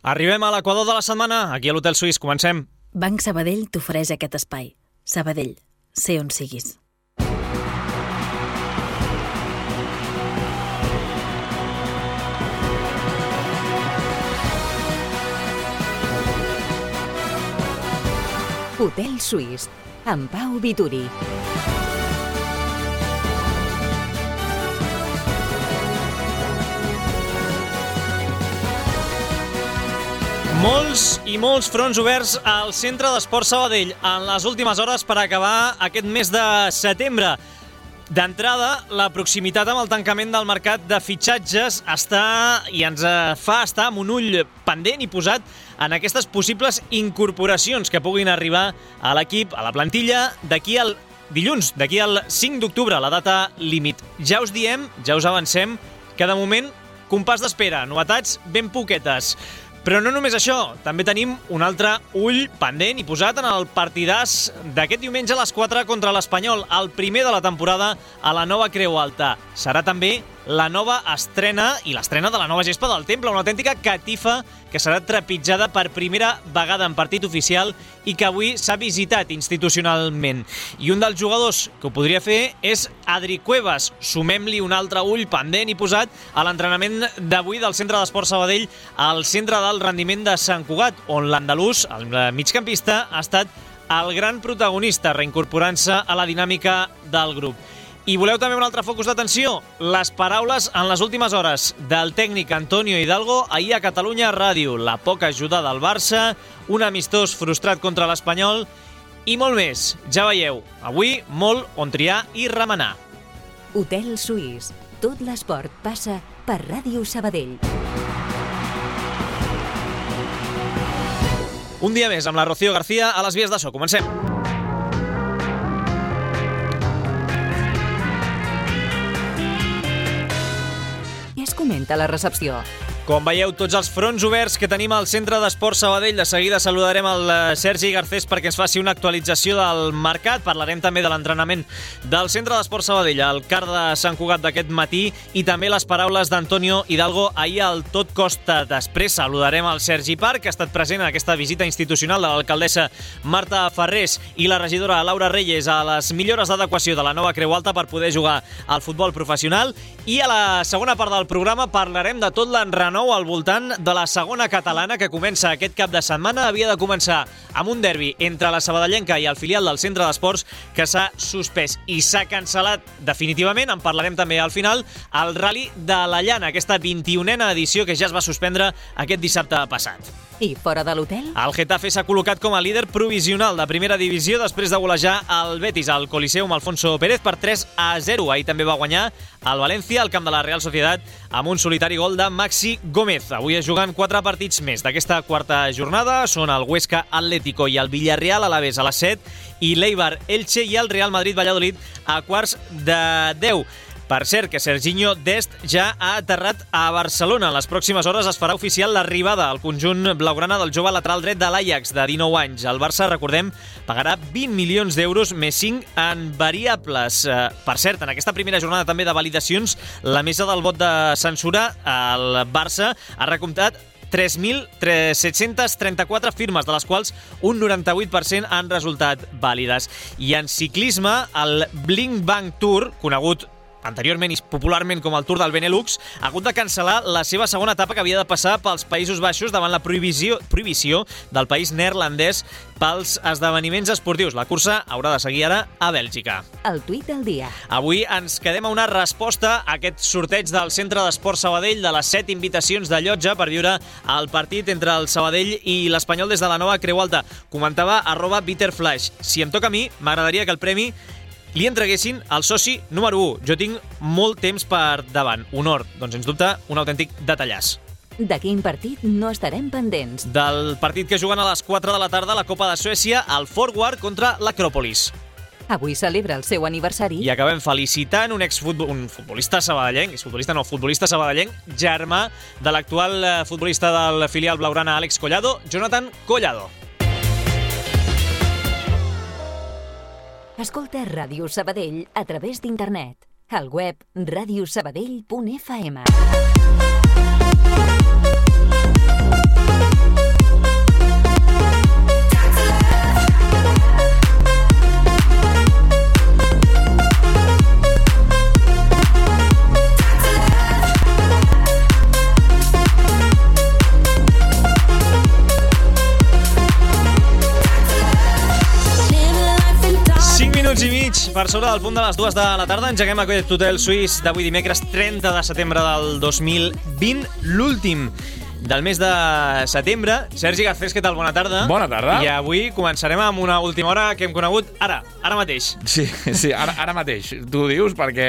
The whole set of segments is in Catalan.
Arribem a l'equador de la setmana, aquí a l'Hotel Suís. Comencem. Banc Sabadell t'ofereix aquest espai. Sabadell, sé on siguis. Hotel Suís, amb Pau Vituri. Molts i molts fronts oberts al Centre d'Esport Sabadell en les últimes hores per acabar aquest mes de setembre. D'entrada, la proximitat amb el tancament del mercat de fitxatges ens fa estar amb un ull pendent i posat en aquestes possibles incorporacions que puguin arribar a l'equip, a la plantilla, d'aquí al dilluns, d'aquí al 5 d'octubre, la data límit. Ja us diem, ja us avancem, que de moment, compàs d'espera, novetats ben poquetes. Però no només això, també tenim un altre ull pendent i posat en el partidàs d'aquest diumenge a les 4 contra l'Espanyol, el primer de la temporada a la nova Creu Alta. Serà també la nova estrena i l'estrena de la nova gespa del Temple, una autèntica catifa que serà trepitjada per primera vegada en partit oficial i que avui s'ha visitat institucionalment. I un dels jugadors que ho podria fer és Adri Cuevas. Sumem-li un altre ull pendent i posat a l'entrenament d'avui del Centre d'Esport Sabadell al Centre del Rendiment de Sant Cugat, on l'andalús, el migcampista, ha estat el gran protagonista, reincorporant-se a la dinàmica del grup. I voleu també un altre focus d'atenció? Les paraules en les últimes hores del tècnic Antonio Hidalgo ahir a Catalunya Ràdio. La poca ajuda del Barça, un amistós frustrat contra l'Espanyol i molt més. Ja veieu, avui molt on triar i remenar. Hotel Suís. Tot l'esport passa per Ràdio Sabadell. Un dia més amb la Rocío García a les vies de so. Comencem. Què es comenta a la recepció? Com veieu, tots els fronts oberts que tenim al Centre d'Esport Sabadell. De seguida saludarem el Sergi Garcés perquè ens faci una actualització del mercat. Parlarem també de l'entrenament del Centre d'Esport Sabadell, el CAR de Sant Cugat d'aquest matí, i també les paraules d'Antonio Hidalgo ahir al Tot Costa. Després saludarem el Sergi Parc, que ha estat present en aquesta visita institucional de l'alcaldessa Marta Ferrés i la regidora Laura Reyes a les millores d'adequació de la nova Creu Alta per poder jugar al futbol professional. I a la segona part del programa parlarem de tot l'enrenou al voltant de la segona catalana que comença aquest cap de setmana. Havia de començar amb un derbi entre la sabadellenca i el filial del Centre d'Esports que s'ha suspès i s'ha cancel·lat definitivament. En parlarem també al final. El Rally de la Llana, aquesta 21a edició que ja es va suspendre aquest dissabte passat. I fora de l'hotel? El Getafe s'ha col·locat com a líder provisional de primera divisió després de golejar el Betis al Coliseum Alfonso Pérez per 3-0. Ahir també va guanyar el València al camp de la Real Sociedad amb un solitari gol de Maxi Gómez. Avui es juguen 4 partits més d'aquesta quarta jornada. Són el Huesca Atlético i el Villarreal Alavés a les 7 i l'Eibar Elche i el Real Madrid Valladolid a quarts de 10. Per cert, que Serginho Dest ja ha aterrat a Barcelona. En les pròximes hores es farà oficial l'arribada al conjunt blaugrana del jove lateral dret de l'Ajax, de 19 anys. El Barça, recordem, pagarà 20 milions d'euros més 5 en variables. Per cert, en aquesta primera jornada també de validacions, la mesa del vot de censura, el Barça ha recomptat 3.734 firmes, de les quals un 98% han resultat vàlides. I en ciclisme, el Blink Bank Tour, conegut anteriorment i popularment com el Tour del Benelux, ha hagut de cancel·lar la seva segona etapa que havia de passar pels Països Baixos davant la prohibició del país neerlandès pels esdeveniments esportius. La cursa haurà de seguir ara a Bèlgica. El tuit del dia. Avui ens quedem a una resposta a aquest sorteig del Centre d'Esport Sabadell de les 7 invitacions de llotja per viure el partit entre el Sabadell i l'Espanyol des de la nova Creu Alta. Comentava @BitterFlash. Si em toca a mi, m'agradaria que el premi li entreguessin al soci número 1. Jo tinc molt temps per davant. Honor, doncs sens dubte, un autèntic detallàs. De quin partit no estarem pendents? Del partit que juguen a les 4 de la tarda a la Copa de Suècia, el Forward contra l'Acròpolis. Avui celebra el seu aniversari. I acabem felicitant un futbolista sabadellenc, futbolista sabadellenc, germà de l'actual futbolista del filial blaugrana Àlex Collado, Jonathan Collado. Escolta Ràdio Sabadell a través d'internet. Al web radiosabadell.fm. per sobre del punt de les 2 de la tarda. Engeguem aquest hotel suís d'avui dimecres 30 de setembre del 2020, l'últim del mes de setembre. Sergi Garcés, què tal? Bona tarda. Bona tarda. I avui començarem amb una última hora que hem conegut ara mateix. Sí, ara mateix. Tu ho dius perquè,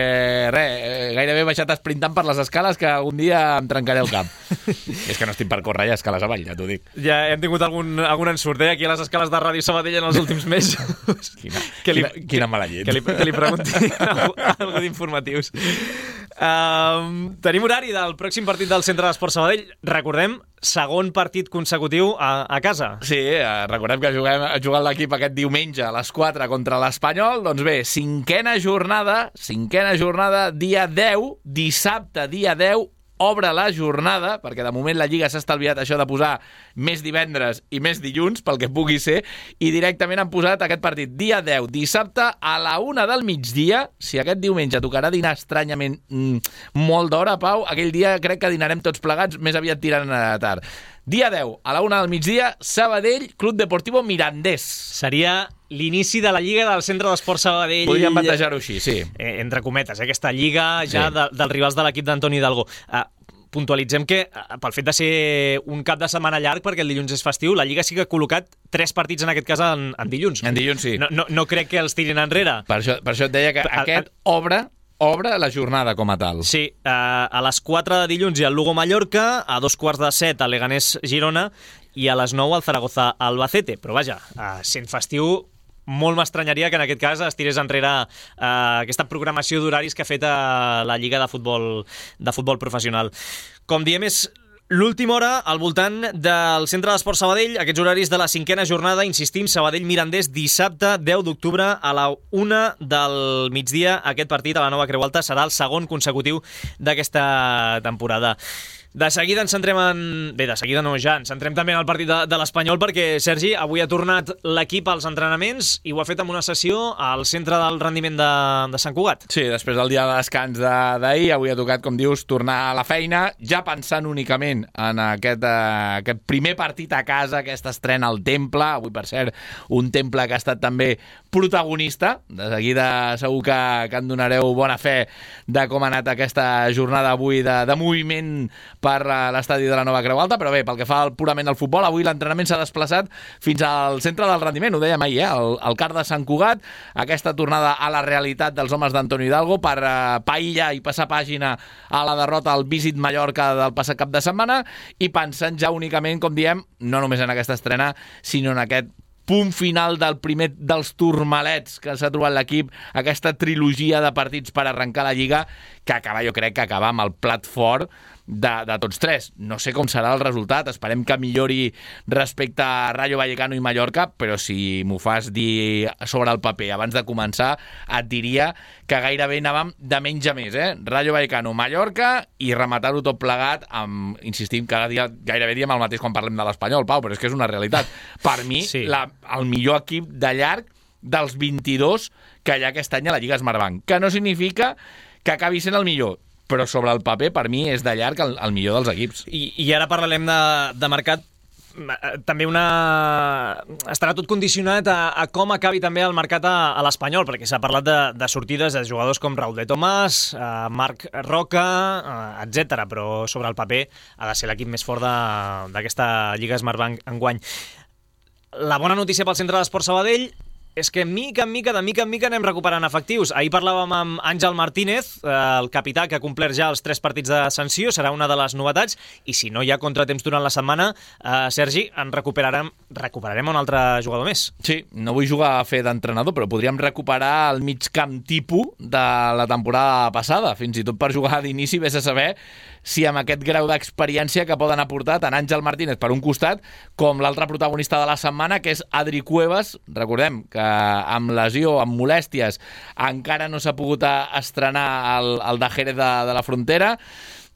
gairebé he baixat esprintant per les escales que algun dia em trencaré el cap. És que no estic per córrer ja escales avall, ja t'ho dic. Ja hem tingut algun ensurt, aquí a les escales de Ràdio Sabadell en els últims mesos. Quina mala llet. Que li pregunti algú d'informatius. Tenim horari del pròxim partit del Centre d'Esports Sabadell. Recordem, segon partit consecutiu a casa. Sí, recordem que ha jugat l'equip aquest diumenge a les 4 contra l'Espanyol. Doncs bé, cinquena jornada, dia 10, dissabte, dia 10, obre la jornada, perquè de moment la Lliga s'ha estalviat això de posar més divendres i més dilluns, pel que pugui ser, i directament han posat aquest partit dia 10, dissabte, a la 1 del migdia. Si aquest diumenge tocarà dinar estranyament molt d'hora, Pau, aquell dia crec que dinarem tots plegats, més aviat tirant a tard. Dia 10, a la 1 del migdia, Sabadell, Club Deportivo Mirandés. Seria l'inici de la Lliga del Centre d'Esports Sabadell. Podríem batejar-ho així, sí. Entre cometes, aquesta Lliga ja dels rivals de l'equip d'Antoni Hidalgo. Puntualitzem que, pel fet de ser un cap de setmana llarg, perquè el dilluns és festiu, la Lliga sí que ha col·locat 3 partits en aquest cas en dilluns. En dilluns, sí. No crec que els tirin enrere. Per això et deia que aquest obre la jornada com a tal. Sí, a les 4 de dilluns hi ha el Lugo-Mallorca, a 2:15 el Leganés-Girona i a les 9 el Zaragoza-Albacete. Però vaja, sent festiu, molt m'estranyaria que en aquest cas es tirés enrere aquesta programació d'horaris que ha fet la Lliga de futbol professional. Com diem, és l'última hora al voltant del Centre d'Esports Sabadell, aquests horaris de la cinquena jornada, insistim, Sabadell-Mirandés, dissabte 10 d'octubre a la 1 del migdia. Aquest partit a la Nova Creu Alta serà el segon consecutiu d'aquesta temporada. De seguida ens centrem ens centrem també en el partit de l'Espanyol, perquè, Sergi, avui ha tornat l'equip als entrenaments i ho ha fet amb una sessió al centre del rendiment de Sant Cugat. Sí, després del dia de descans d'ahir, avui ha tocat, com dius, tornar a la feina, ja pensant únicament en aquest primer partit a casa, aquesta estrena al Temple, avui, per cert, un Temple que ha estat també protagonista. De seguida segur que en donareu bona fe de com ha anat aquesta jornada avui de moviment per l'estadi de la Nova Creu Alta, però bé, pel que fa purament al futbol, avui l'entrenament s'ha desplaçat fins al centre del rendiment, ho dèiem ahir, el CAR de Sant Cugat, aquesta tornada a la realitat dels homes d'Antoni Hidalgo per païllar i passar pàgina a la derrota al Visit Mallorca del passat cap de setmana, i pensant ja únicament, com diem, no només en aquesta estrena, sinó en aquest punt final del primer dels turmalets que s'ha trobat l'equip, aquesta trilogia de partits per arrencar la Lliga, que jo crec que acaba amb el plat fort de tots tres. No sé com serà el resultat, esperem que millori respecte a Rayo Vallecano i Mallorca, però si m'ho fas dir sobre el paper abans de començar, et diria que gairebé anàvem de menys a més, Rayo Vallecano, Mallorca, i rematar-ho tot plegat amb, insistim, cada dia gairebé diem el mateix quan parlem de l'Espanyol, Pau, però és que és una realitat. Per mi, sí, el millor equip de llarg dels 22 que hi ha aquest any a la Lliga Smartbank, que no significa que acabi sent el millor, però sobre el paper, per mi, és de llarg el millor dels equips. I ara parlarem de mercat. També estarà tot condicionat a com acabi també el mercat a l'Espanyol, perquè s'ha parlat de sortides de jugadors com Raúl de Tomàs, Marc Roca, etc. Però sobre el paper ha de ser l'equip més fort d'aquesta Lliga Smartbank enguany. La bona notícia pel Centre d'Esports Sabadell és que de mica en mica anem recuperant efectius. Ahir parlàvem amb Àngel Martínez, el capità, que ha complert ja els 3 partits de sanció, serà una de les novetats, i si no hi ha contratemps durant la setmana, Sergi, recuperarem un altre jugador més. Sí, no vull jugar a fer d'entrenador, però podríem recuperar el mig camp tipus de la temporada passada, fins i tot per jugar d'inici, vés a saber si amb aquest grau d'experiència que poden aportar tant Àngel Martínez per un costat com l'altre protagonista de la setmana, que és Adri Cuevas. Recordem que amb lesió, amb molèsties, encara no s'ha pogut estrenar el de Jerez de la Frontera.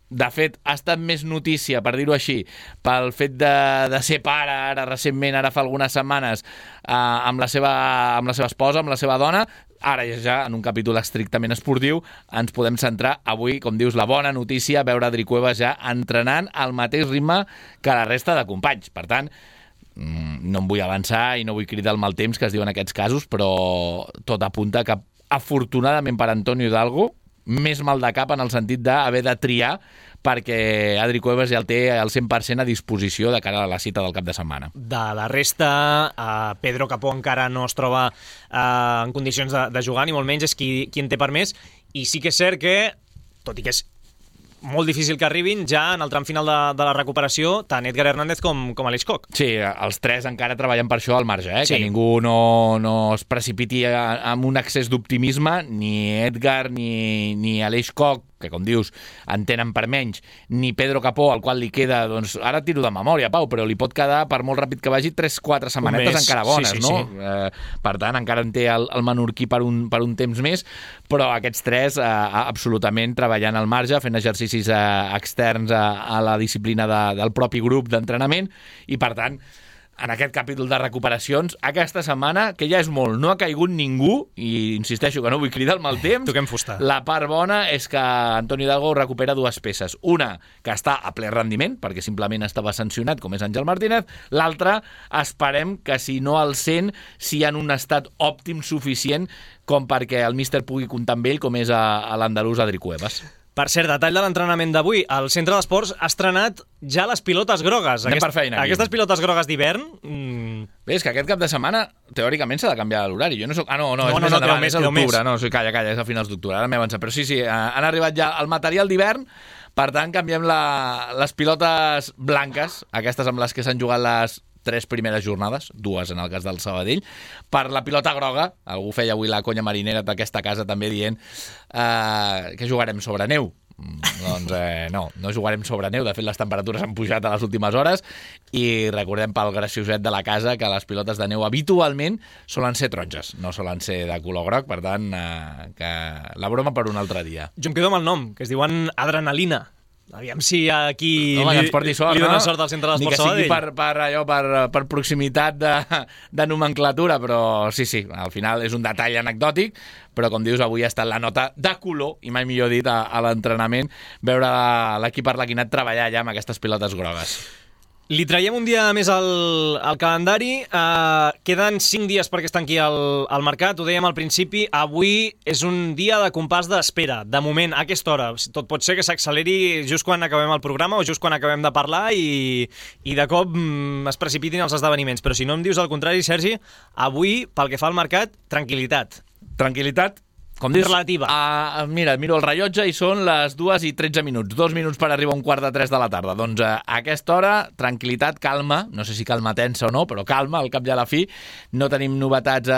De fet, ha estat més notícia, per dir-ho així, pel fet de ser pare, ara recentment, ara fa algunes setmanes, amb la seva esposa, amb la seva dona. Ara ja, en un capítol estrictament esportiu, ens podem centrar avui, com dius, la bona notícia, veure Adri Cuevas ja entrenant al mateix ritme que la resta de companys. Per tant, no em vull avançar i no vull cridar el mal temps que es diu en aquests casos, però tot apunta que afortunadament per Antonio Hidalgo, més mal de cap en el sentit d'haver de triar perquè Adri Cuevas ja el té al 100% a disposició de cara a la cita del cap de setmana. De la resta, Pedro Capó encara no es troba en condicions de jugar, ni molt menys és qui en té per més, i sí que és cert que, tot i que és molt difícil que arribin, ja en el tram final de la recuperació, tant Edgar Hernández com Aleix Coc. Sí, els tres encara treballen per això al marge, Sí. Que ningú no es precipiti amb un excés d'optimisme, ni Edgar ni Aleix Coc, que com dius, en tenen per menys, ni Pedro Capó, al qual li queda, doncs, ara tiro de memòria, Pau, però li pot quedar, per molt ràpid que vagi, 3-4 setmanetes encara bones, sí, no? Sí. Per tant, encara en té el menorquí per un temps més, però aquests tres absolutament treballant al marge, fent exercicis externs a la disciplina del propi grup d'entrenament, i per tant, en aquest capítol de recuperacions, aquesta setmana, que ja és molt, no ha caigut ningú, i insisteixo que no vull cridar el mal temps, Toquem fusta. la part bona és que Antonio Hidalgo recupera dues peces. Una, que està a ple rendiment, perquè simplement estava sancionat, com és Àngel Martínez. L'altra, esperem que si no al 100, si en un estat òptim suficient com perquè el míster pugui comptar amb ell, com és a l'andalús Adri Cuevas. Per cert, detall de l'entrenament d'avui. El centre d'esports ha estrenat ja les pilotes grogues. Anem per feina, aquí. Aquestes pilotes grogues d'hivern... Bé, és que aquest cap de setmana, teòricament, s'ha de canviar l'horari. Jo no soc... no, és més endavant, és a queda l'octubre. No, calla, és a finals d'octubre. Ara m'he avançat. Però sí, han arribat ja el material d'hivern. Per tant, canviem les pilotes blanques, aquestes amb les que s'han jugat les 3 primeres jornades, 2 en el cas del Sabadell, per la pilota groga. Algú feia avui la conya marinera d'aquesta casa també dient que jugarem sobre neu. Doncs no jugarem sobre neu. De fet, les temperatures han pujat a les últimes hores i recordem pel gracioset de la casa que les pilotes de neu habitualment solen ser taronges, no solen ser de color groc, per tant, que la broma per un altre dia. Jo em quedo amb el nom, que es diuen Adrenalina. Aviam si aquí ens porti sort, li dona sort al centre d'Esports Sabadell. Ni que sigui per proximitat de nomenclatura, però sí, al final és un detall anecdòtic, però com dius, avui ha estat la nota de color, i mai millor dit, a l'entrenament, veure l'equip arlequinat treballar ja amb aquestes pilotes grogues. Li traiem un dia més al calendari. Queden 5 dies perquè es tanqui el mercat. Ho dèiem al principi, avui és un dia de compàs d'espera. De moment, a aquesta hora. Tot pot ser que s'acceleri just quan acabem el programa o just quan acabem de parlar i de cop es precipitin els esdeveniments. Però si no em dius el contrari, Sergi, avui, pel que fa al mercat, tranquil·litat. Tranquil·litat, com dius, relativa. Mira, miro el rellotge i són les 2:13. 2 minuts per arribar a 2:45 de la tarda. Doncs a aquesta hora, tranquil·litat, calma, no sé si calma tensa o no, però calma, al cap i a la fi. No tenim novetats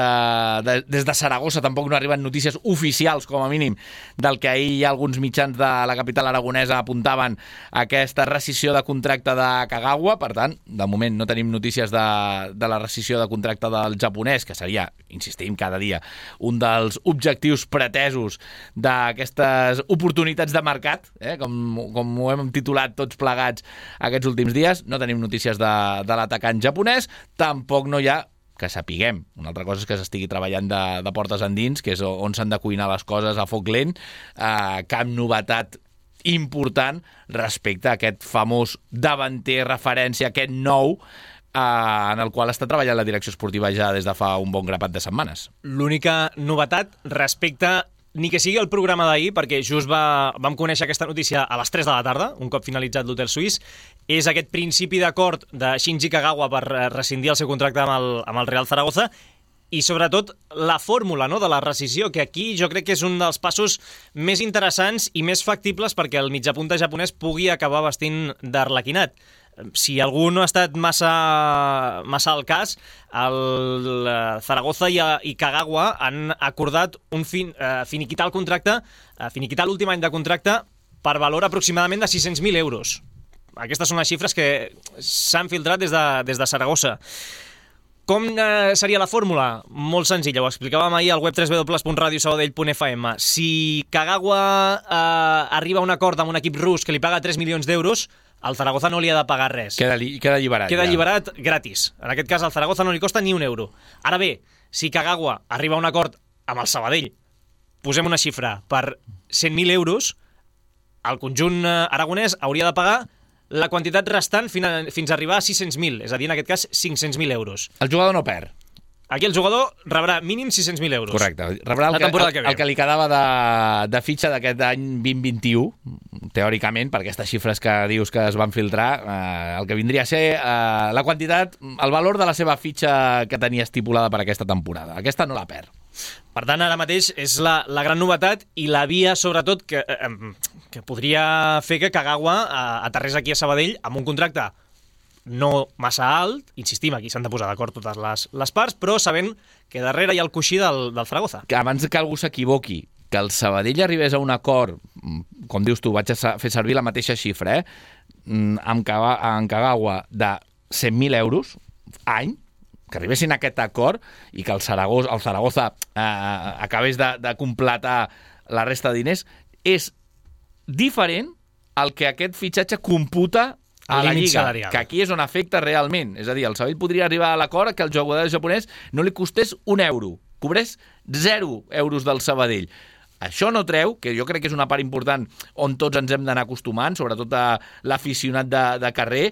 des de Saragossa, tampoc no arriben notícies oficials, com a mínim, del que ahir ja alguns mitjans de la capital aragonesa apuntaven aquesta rescissió de contracte de Kagawa. Per tant, de moment no tenim notícies de la rescissió de contracte del japonès, que seria, insistim cada dia, un dels objectius pretesos d'aquestes oportunitats de mercat, com ho hem titulat tots plegats aquests últims dies. No tenim notícies de l'atacant japonès, tampoc no hi ha, que sapiguem, una altra cosa és que s'estigui treballant de portes endins, que és on s'han de cuinar les coses a foc lent, cap novetat important respecte a aquest famós davanter referència, aquest nou, en el qual està treballant la direcció esportiva ja des de fa un bon grapat de setmanes. L'única novetat respecte, ni que sigui el programa d'ahir, perquè just vam conèixer aquesta notícia a les 3 de la tarda, un cop finalitzat l'Hotel Suís, és aquest principi d'acord de Shinji Kagawa per rescindir el seu contracte amb el Real Zaragoza, i sobretot la fórmula, no?, de la rescissió, que aquí jo crec que és un dels passos més interessants i més factibles perquè el mitjapunta japonès pugui acabar vestint d'arlequinat. Si algú no ha estat massa al cas, el Zaragoza i Kagawa han acordat finiquitar el contracte, finiquitar l'últim any de contracte per valor aproximadament de 600.000 euros. Aquestes són les xifres que s'han filtrat des de Saragossa. Com seria la fórmula? Molt senzilla, ho explicàvem ahir al web www.radiosabadell.fm. Si Kagawa arriba a un acord amb un equip rus que li paga 3 milions d'euros, el Zaragoza no li ha de pagar res. Queda alliberat. Queda alliberat gratis. En aquest cas, al Zaragoza no li costa ni un euro. Ara bé, si Kagawa arriba a un acord amb el Sabadell, posem una xifra, per 100.000 euros, el conjunt aragonès hauria de pagar la quantitat restant fins a arribar a 600.000, és a dir, en aquest cas, 500.000 euros. El jugador no perd. aquí el jugador rebrà mínim 600.000 euros. Correcte. Rebrà el que li quedava de fitxa d'aquest any 2021, teòricament, per aquestes xifres que dius que es van filtrar, el que vindria a ser la quantitat, el valor de la seva fitxa que tenia estipulada per aquesta temporada. Aquesta no la perd. Per tant, ara mateix és la gran novetat i la via, sobretot, que podria fer que Kagawa aterrés aquí a Sabadell amb un contracte no massa alt, insistim, aquí s'han de posar d'acord totes les parts, però sabent que darrere hi ha el coixí del Zaragoza. Que abans que algú s'equivoqui, que el Sabadell arribés a un acord, com dius tu, vaig a fer servir la mateixa xifra, amb Kagawa de 100.000 euros any, que arribessin a aquest acord i que el Zaragoza acabés de completar la resta de diners, és diferent al que aquest fitxatge computa a la Lliga, salarial. Que aquí és on afecta realment. És a dir, el Sabadell podria arribar a l'acord que el jugador japonès no li costés €1, cobrés 0 euros del Sabadell. Això no treu, que jo crec que és una part important on tots ens hem d'anar acostumant, sobretot a l'aficionat de carrer,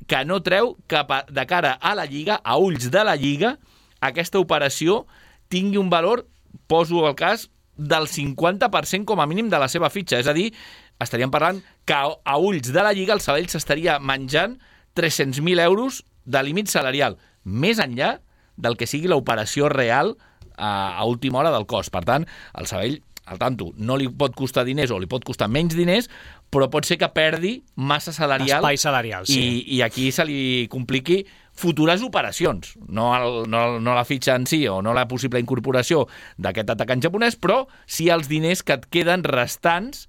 que no treu que de cara a la Lliga, a ulls de la Lliga, aquesta operació tingui un valor, poso el cas, del 50% com a mínim de la seva fitxa. És a dir, estaríem parlant que a ulls de la Lliga el Sabadell s'estaria menjant 300.000 euros de límit salarial, més enllà del que sigui l'operació real a última hora del cost. Per tant, el Sabadell, al tanto, no li pot costar diners o li pot costar menys diners, però pot ser que perdi massa salarial. Espai salarial, sí. I aquí se li compliqui futures operacions, no la fitxa en si o no la possible incorporació d'aquest atacant japonès, però sí els diners que et queden restants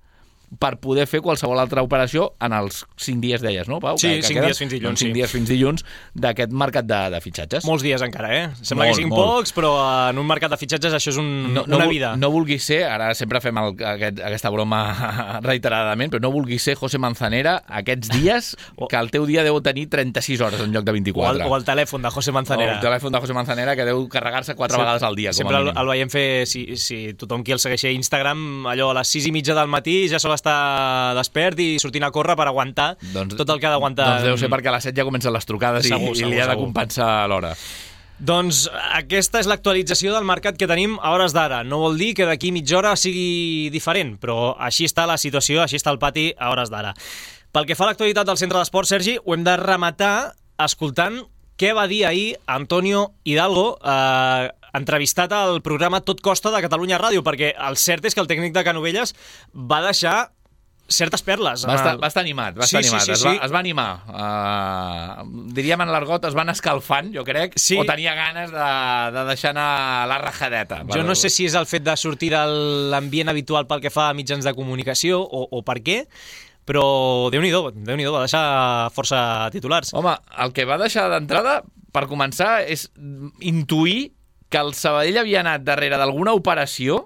per poder fer qualsevol altra operació en els 5 dies, deies, no, Pau? Sí, 5 dies fins dilluns. 5 dies fins dilluns d'aquest mercat de fitxatges. Molts dies encara, Sembla que siguin pocs, però en un mercat de fitxatges això és una vida. No vulguis ser, ara sempre fem aquesta broma reiteradament, però no vulguis ser José Manzanera aquests dies, que el teu dia deu tenir 36 hores en lloc de 24. O el telèfon de José Manzanera. O el telèfon de José Manzanera, que deu carregar-se 4 vegades al dia. Sempre el veiem fer, si tothom qui el segueix a Instagram, allò a les 6:30 del matí ja sol estar despert i sortint a córrer per aguantar tot el que ha d'aguantar. Doncs deu ser perquè a les 7 ja comencen les trucades i li ha de compensar l'hora. Doncs aquesta és l'actualització del mercat que tenim a hores d'ara. No vol dir que d'aquí mitja hora sigui diferent, però així està la situació, així està el pati a hores d'ara. Pel que fa a l'actualitat del centre d'esport, Sergi, ho hem de rematar escoltant què va dir ahir Antonio Hidalgo, entrevistat al programa Tot Costa de Catalunya Ràdio, perquè el cert és que el tècnic de Canovelles va deixar certes perles. Va estar animat. Sí. Es va animar. Diríem en l'argot, es van escalfant, jo crec, o tenia ganes de deixar anar la rajadeta. Jo no sé si és el fet de sortir de l'ambient habitual pel que fa a mitjans de comunicació o per què, però Déu-n'hi-do, va deixar força titulars. Home, el que va deixar d'entrada, per començar, és intuir que el Sabadell havia anat darrere d'alguna operació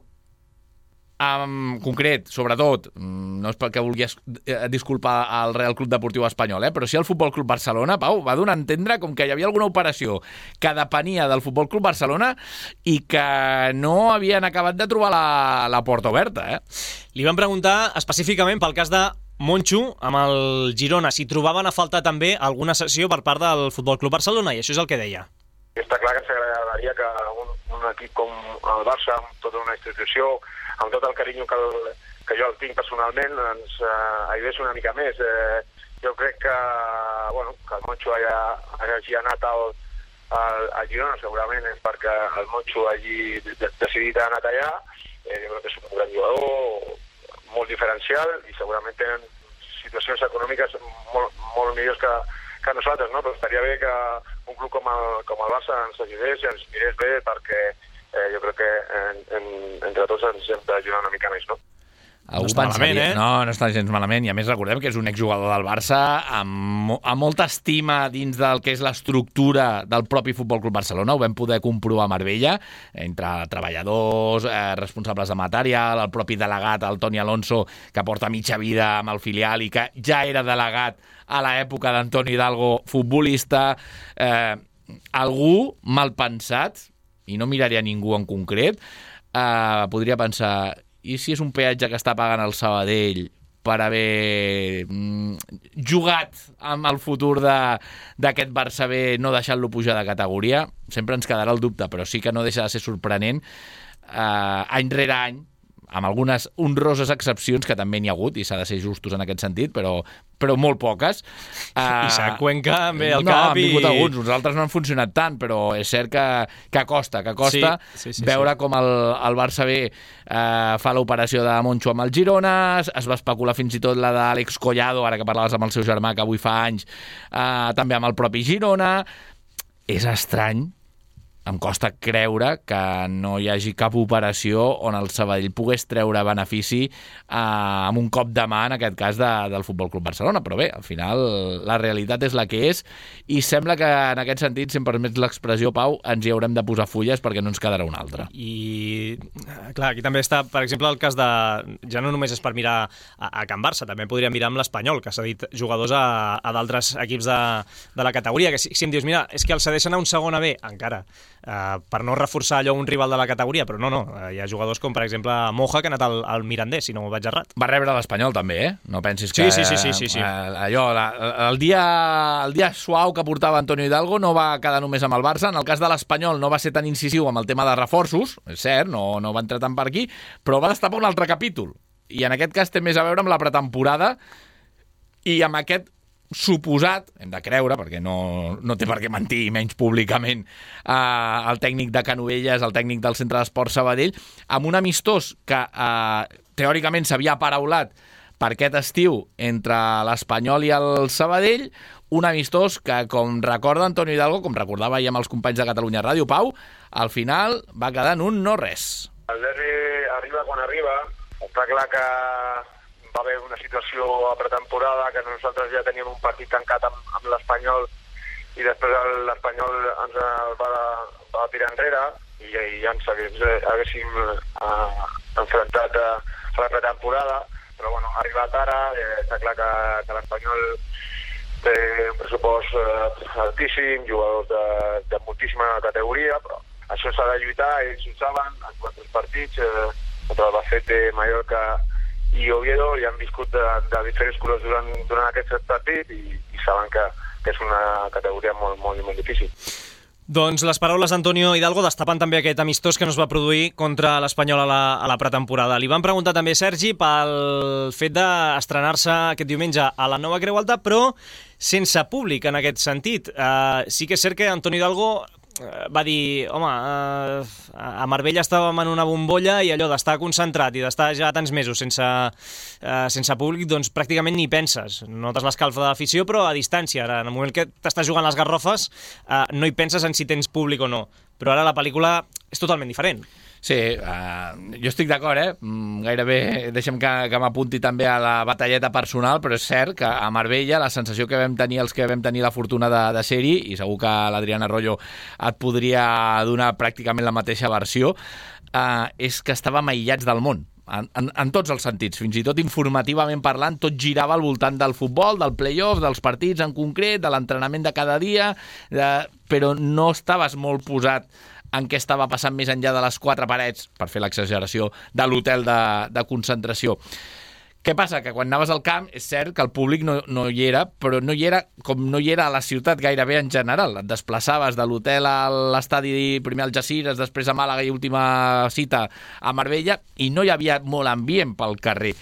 en concret, sobretot, no és perquè vulgui disculpar al Real Club Deportiu Espanyol, però sí al Futbol Club Barcelona, Pau, va donar a entendre com que hi havia alguna operació que depenia del Futbol Club Barcelona i que no havien acabat de trobar la porta oberta. Li van preguntar específicament pel cas de Moncho amb el Girona, si trobaven a faltar també alguna sessió per part del Futbol Club Barcelona, i això és el que deia. Està clar que ens agradaria que un equip com el Barça, amb tota una institució, amb tot el carinyo que jo el tinc personalment, ens ajudés una mica més. Jo crec que el Moncho hagi anat al Girona, segurament és perquè el Moncho hagi decidit anar allà. Jo crec que és un gran jugador, molt diferencial, i segurament tenen situacions econòmiques molt millors que nosaltres, no? Però estaria bé que un club com el Barça ens ajudés i ens mirés bé, perquè jo crec que entre tots ens hem d'ajudar una mica més, no? No està malament, No està gens malament, i a més recordem que és un exjugador del Barça amb molta estima dins del que és l'estructura del propi Futbol Club Barcelona. Ho vam poder comprovar a Marbella, entre treballadors, responsables de material, el propi delegat, el Toni Alonso, que porta mitja vida amb el filial i que ja era delegat a l'època d'Antoni Hidalgo, futbolista. Algú mal pensat, i no miraré a ningú en concret, podria pensar: i si és un peatge que està pagant el Sabadell per haver jugat amb el futur d'aquest Barça B, no deixant-lo pujar de categoria. Sempre ens quedarà el dubte, però sí que no deixa de ser sorprenent any rere any, amb algunes honroses excepcions que també n'hi ha hagut, i s'ha de ser justos en aquest sentit, però molt poques. Isaac Cuenca ve al cap No, han vingut alguns, uns altres no han funcionat tant, però és cert que costa sí, veure com el Barça B fa l'operació de Moncho amb el Girona, es va especular fins i tot la d'Àlex Collado, ara que parlaves amb el seu germà, que avui fa anys, també amb el propi Girona. És estrany, em costa creure que no hi hagi cap operació on el Sabadell pogués treure benefici amb un cop de mà, en aquest cas, del Futbol Club Barcelona. Però bé, al final la realitat és la que és, i sembla que en aquest sentit, si em permets l'expressió, Pau, ens hi haurem de posar fulles perquè no ens quedarà una altra. I, clar, aquí també està, per exemple, el cas de... Ja no només és per mirar a Can Barça, també podríem mirar amb l'Espanyol, que s'ha dit jugadors a d'altres equips de la categoria, que si em dius, mira, és que el cedeixen a un segona B, encara, per no reforçar allò un rival de la categoria, però no, hi ha jugadors com, per exemple, Moja, que ha anat al Mirandés, si no vaig errat. Va rebre l'Espanyol també, No pensis que... Sí. Allò, el dia suau que portava Antonio Hidalgo no va quedar només amb el Barça. En el cas de l'Espanyol no va ser tan incisiu amb el tema de reforços, és cert, no va entrar tant per aquí, però va destapar un altre capítol, i en aquest cas té més a veure amb la pretemporada i amb aquest suposat, hem de creure, perquè no té per què mentir, menys públicament, el tècnic de Canovelles, el tècnic del Centre d'Esport Sabadell, amb un amistós que teòricament s'havia paraulat per aquest estiu entre l'Espanyol i el Sabadell, un amistós que, com recorda Antonio Hidalgo, com recordava ahir amb els companys de Catalunya Ràdio, Pau, al final va quedar en un no res. El derbi arriba quan arriba. Està clar que va haver una situació a pretemporada que nosaltres ja teníem un partit tancat amb l'Espanyol, i després l'Espanyol ens va tirar enrere i ja ens haguéssim enfrontat a la pretemporada, però bueno, ha arribat ara. Està clar que l'Espanyol té un pressupost altíssim, jugadors de moltíssima categoria, però això s'ha de lluitar, ells ho saben, han jugat 3 partits contra el Albacete, Mallorca i Oviedo, i han viscut de diferents colors durant aquest partit, i saben que és una categoria molt, molt, molt difícil. Doncs les paraules d'Antonio Hidalgo destapen també aquest amistós que no es va produir contra l'Espanyol a la pretemporada. Li van preguntar també, Sergi, pel fet d'estrenar-se aquest diumenge a la Nova Creu Alta, però sense públic en aquest sentit. Sí que és cert que Antonio Hidalgo va dir, home, a Marbella estàvem en una bombolla i allò d'estar concentrat i d'estar ja tants mesos sense públic, doncs pràcticament ni penses. Notes l'escalfa de l'afició, però a distància. Ara, en el moment que t'estàs jugant les garrofes, no hi penses en si tens públic o no. Però ara la pel·lícula és totalment diferent. Sí, jo estic d'acord, gairebé deixem que m'apunti també a la batalleta personal, però és cert que a Marbella la sensació que vam tenir els que vam tenir la fortuna de ser-hi, i segur que l'Adriana Arroyo et podria donar pràcticament la mateixa versió, és que estàvem aïllats del món. En tots els sentits, fins i tot informativament parlant, tot girava al voltant del futbol, del play-off, dels partits en concret, de l'entrenament de cada dia, però no estaves molt posat en què estava passant més enllà de les 4 parets, per fer l'exageració, de l'hotel de concentració. Què passa? Que quan anaves al camp, és cert que el públic no hi era, però no hi era com no hi era a la ciutat gairebé en general. Et desplaçaves de l'hotel a l'estadi, primer al Jacires, després a Màlaga i última cita a Marbella, i no hi havia molt ambient pel carrer.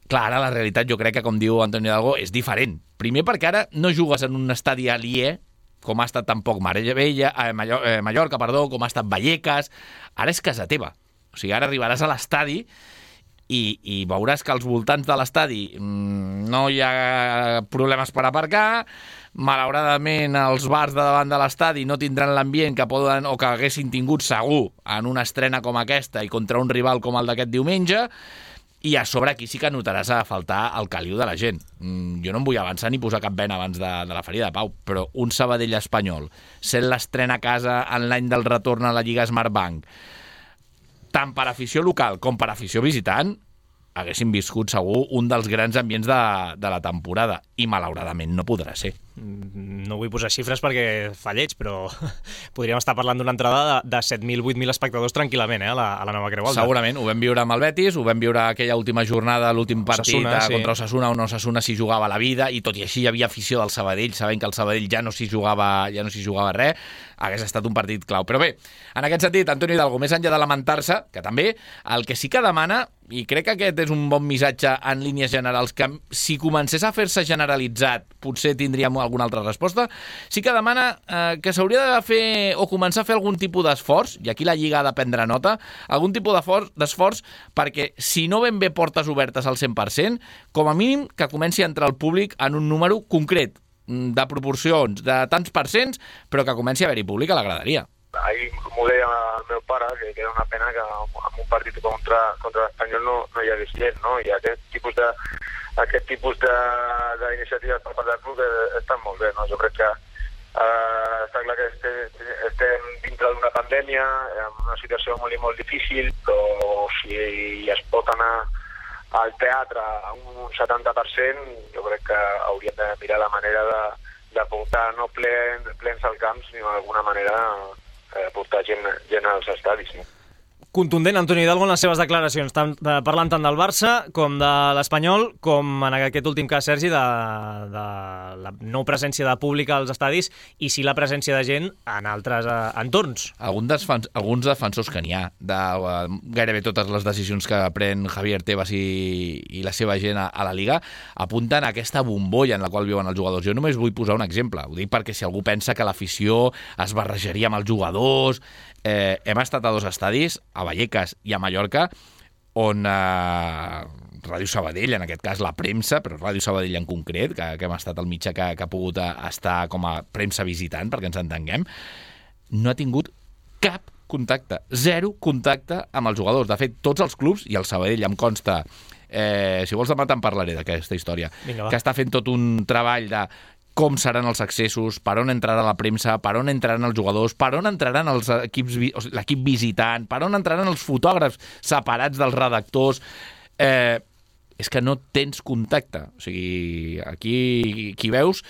Clar, ara la realitat, jo crec que, com diu Antonio Hidalgo, és diferent. Primer perquè ara no jugues en un estadi aliè, com ha estat tampoc Mallorca, com ha estat Vallecas. Ara és casa teva. O sigui, ara arribaràs a l'estadi i veuràs que als voltants de l'estadi no hi ha problemes per aparcar. Malauradament, els bars de davant de l'estadi no tindran l'ambient que poden o que haguessin tingut segur en una estrena com aquesta i contra un rival com el d'aquest diumenge. I a sobre aquí sí que notaràs a faltar el caliu de la gent. Jo no em vull avançar ni posar cap vena abans de la ferida, Pau, però un Sabadell espanyol, sent l'estrena a casa en l'any del retorn a la Lliga Smartbank, tant per afició local com per afició visitant, haguéssim viscut segur un dels grans ambients de la temporada, i malauradament no podrà ser. No vull posar xifres perquè fa lleig, però podríem estar parlant d'una entrada de 7.000, 8.000 espectadors tranquil·lament, a la nova Creu Alta. Segurament, ho vam viure amb el Betis, ho vam viure aquella última jornada, l'últim partit contra Osasuna, on Osasuna s'hi jugava la vida, i tot i així hi havia afició del Sabadell, sabent que el Sabadell ja no s'hi jugava res, hagués estat un partit clau. Però bé, en aquest sentit, Antonio Hidalgo, més enllà de lamentar-se, que també, el que sí que demana, i crec que aquest és un bon missatge en línies generals, que si comencés a fer-se generalitzat potser tindríem alguna altra resposta, sí que demana que s'hauria de fer o començar a fer algun tipus d'esforç, i aquí la Lliga ha de prendre nota, algun tipus d'esforç perquè si no ben bé portes obertes al 100%, com a mínim que comenci a entrar el públic en un número concret, de proporcions, de tants percents, però que comenci a haver-hi públic a la graderia. Ahir m'ho deia el meu pare, que era una pena que en un partit contra l'Espanyol no hi hagués gent, no? I aquest tipus d'iniciatives per part del club estan molt bé, no? Jo crec que està clar que estem dintre d'una pandèmia, en una situació molt i molt difícil, però si es pot anar al teatre a un 70%, jo crec que hauríem de mirar la manera de portar no plens al camp, sinó d'alguna manera portar gent als estadis. No? Contundent Antonio Hidalgo en les seves declaracions, parlant tant del Barça com de l'Espanyol, com en aquest últim cas, Sergi, de la no presència de públic als estadis i sí la presència de gent en altres entorns. Alguns defensors que n'hi ha de gairebé totes les decisions que pren Javier Tebas i la seva gent a la Liga apunten a aquesta bombolla en la qual viuen els jugadors. Jo només vull posar un exemple, ho dic perquè si algú pensa que l'afició es barrejaria amb els jugadors, hem estat a 2 estadis, a Vallecas i a Mallorca, on Ràdio Sabadell, en aquest cas la premsa, però Ràdio Sabadell en concret, que hem estat el mitjà que ha pogut estar com a premsa visitant, perquè ens entenguem, no ha tingut cap contacte, 0 contacte amb els jugadors. De fet, tots els clubs, i el Sabadell em consta, si vols demà te'n parlaré d'aquesta història, que està fent tot un treball de com seran els accessos, per on entrarà la premsa, per on entraran els jugadors, per on entraran els l'equip visitant, per on entraran els fotògrafs separats dels redactors. És que no tens contacte. O sigui, aquí qui veus,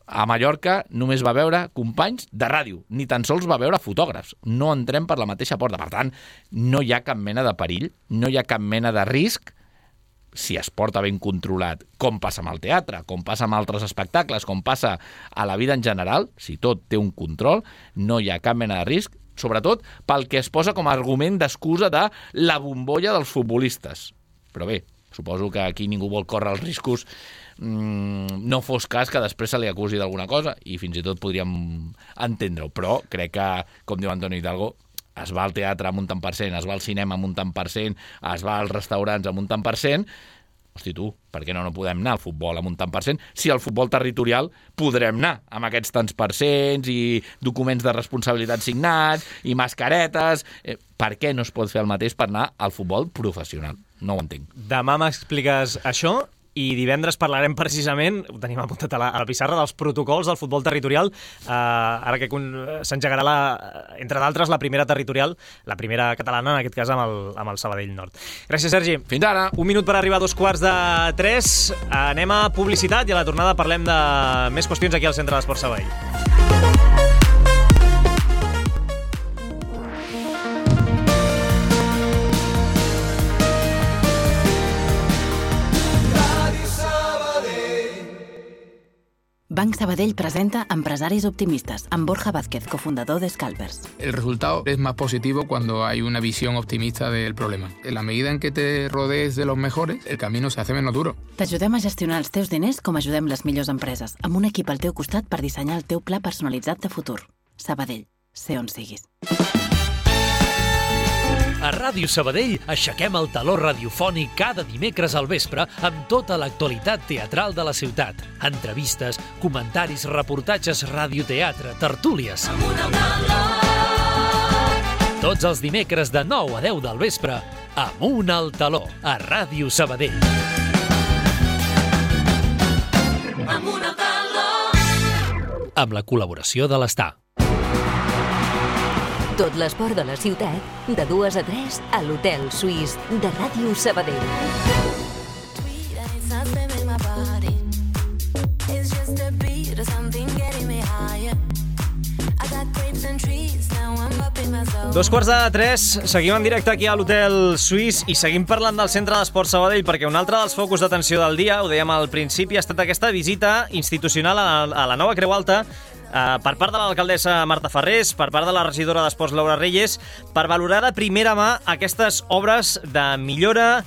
a Mallorca només va veure companys de ràdio, ni tan sols va veure fotògrafs. No entrem per la mateixa porta. Per tant, no hi ha cap mena de perill, no hi ha cap mena de risc si es porta ben controlat, com passa amb el teatre, com passa amb altres espectacles, com passa a la vida en general, si tot té un control, no hi ha cap mena de risc, sobretot pel que es posa com a argument d'excusa de la bombolla dels futbolistes. Però bé, suposo que aquí ningú vol córrer els riscos, no fos cas que després se li acusi d'alguna cosa, i fins i tot podríem entendre-ho, però crec que, com diu Antonio Hidalgo, es va al teatre amb un tant per cent, es va al cinema amb un tant per cent, es va als restaurants amb un tant per cent. Hosti, tu, per què no podem anar al futbol amb un tant per cent? Si al futbol territorial podrem anar amb aquests tants per cents i documents de responsabilitat signats i mascaretes. Per què no es pot fer el mateix per anar al futbol professional? No ho entenc. Demà m'expliques això. I divendres parlarem precisament, ho tenim apuntat a la pissarra, dels protocols del futbol territorial, ara que s'engegarà, entre d'altres, la primera territorial, la primera catalana, en aquest cas amb el Sabadell Nord. Gràcies, Sergi. Fins ara. Un minut per arribar a 2:45. Anem a publicitat i a la tornada parlem de més qüestions aquí al Centre d'Esports Sabadell. Banc Sabadell presenta Empresaris Optimistas, amb Borja Vázquez, cofundador de Scalpers. El resultado es más positivo cuando hay una visión optimista del problema. En la medida en què te rodees de los mejores, el camino se hace menos duro. T'ajudem a gestionar els teus diners com ajudem les millors empreses, amb un equip al teu costat per dissenyar el teu pla personalitzat de futur. Sabadell, sé on siguis. A Ràdio Sabadell aixequem el taló radiofònic cada dimecres al vespre amb tota l'actualitat teatral de la ciutat. Entrevistes, comentaris, reportatges, radioteatre, tertúlies. Tots els dimecres de 9 a 10 del vespre, Amunt al taló, a Ràdio Sabadell. Amunt al taló! Amb la col·laboració de l'Estar. Tot l'esport de la ciutat, de 2 a 3 a l'Hotel Suís de Ràdio Sabadell. Dos quarts de 3, seguim en directe aquí a l'Hotel Suís i seguim parlant del Centre d'Esport Sabadell perquè un altre dels focus d'atenció del dia, ho dèiem al principi, ha estat aquesta visita institucional a la nova Creu Alta per part de l'alcaldessa Marta Farrés, per part de la regidora d'Esports Laura Reyes, per valorar de primera mà aquestes obres de millora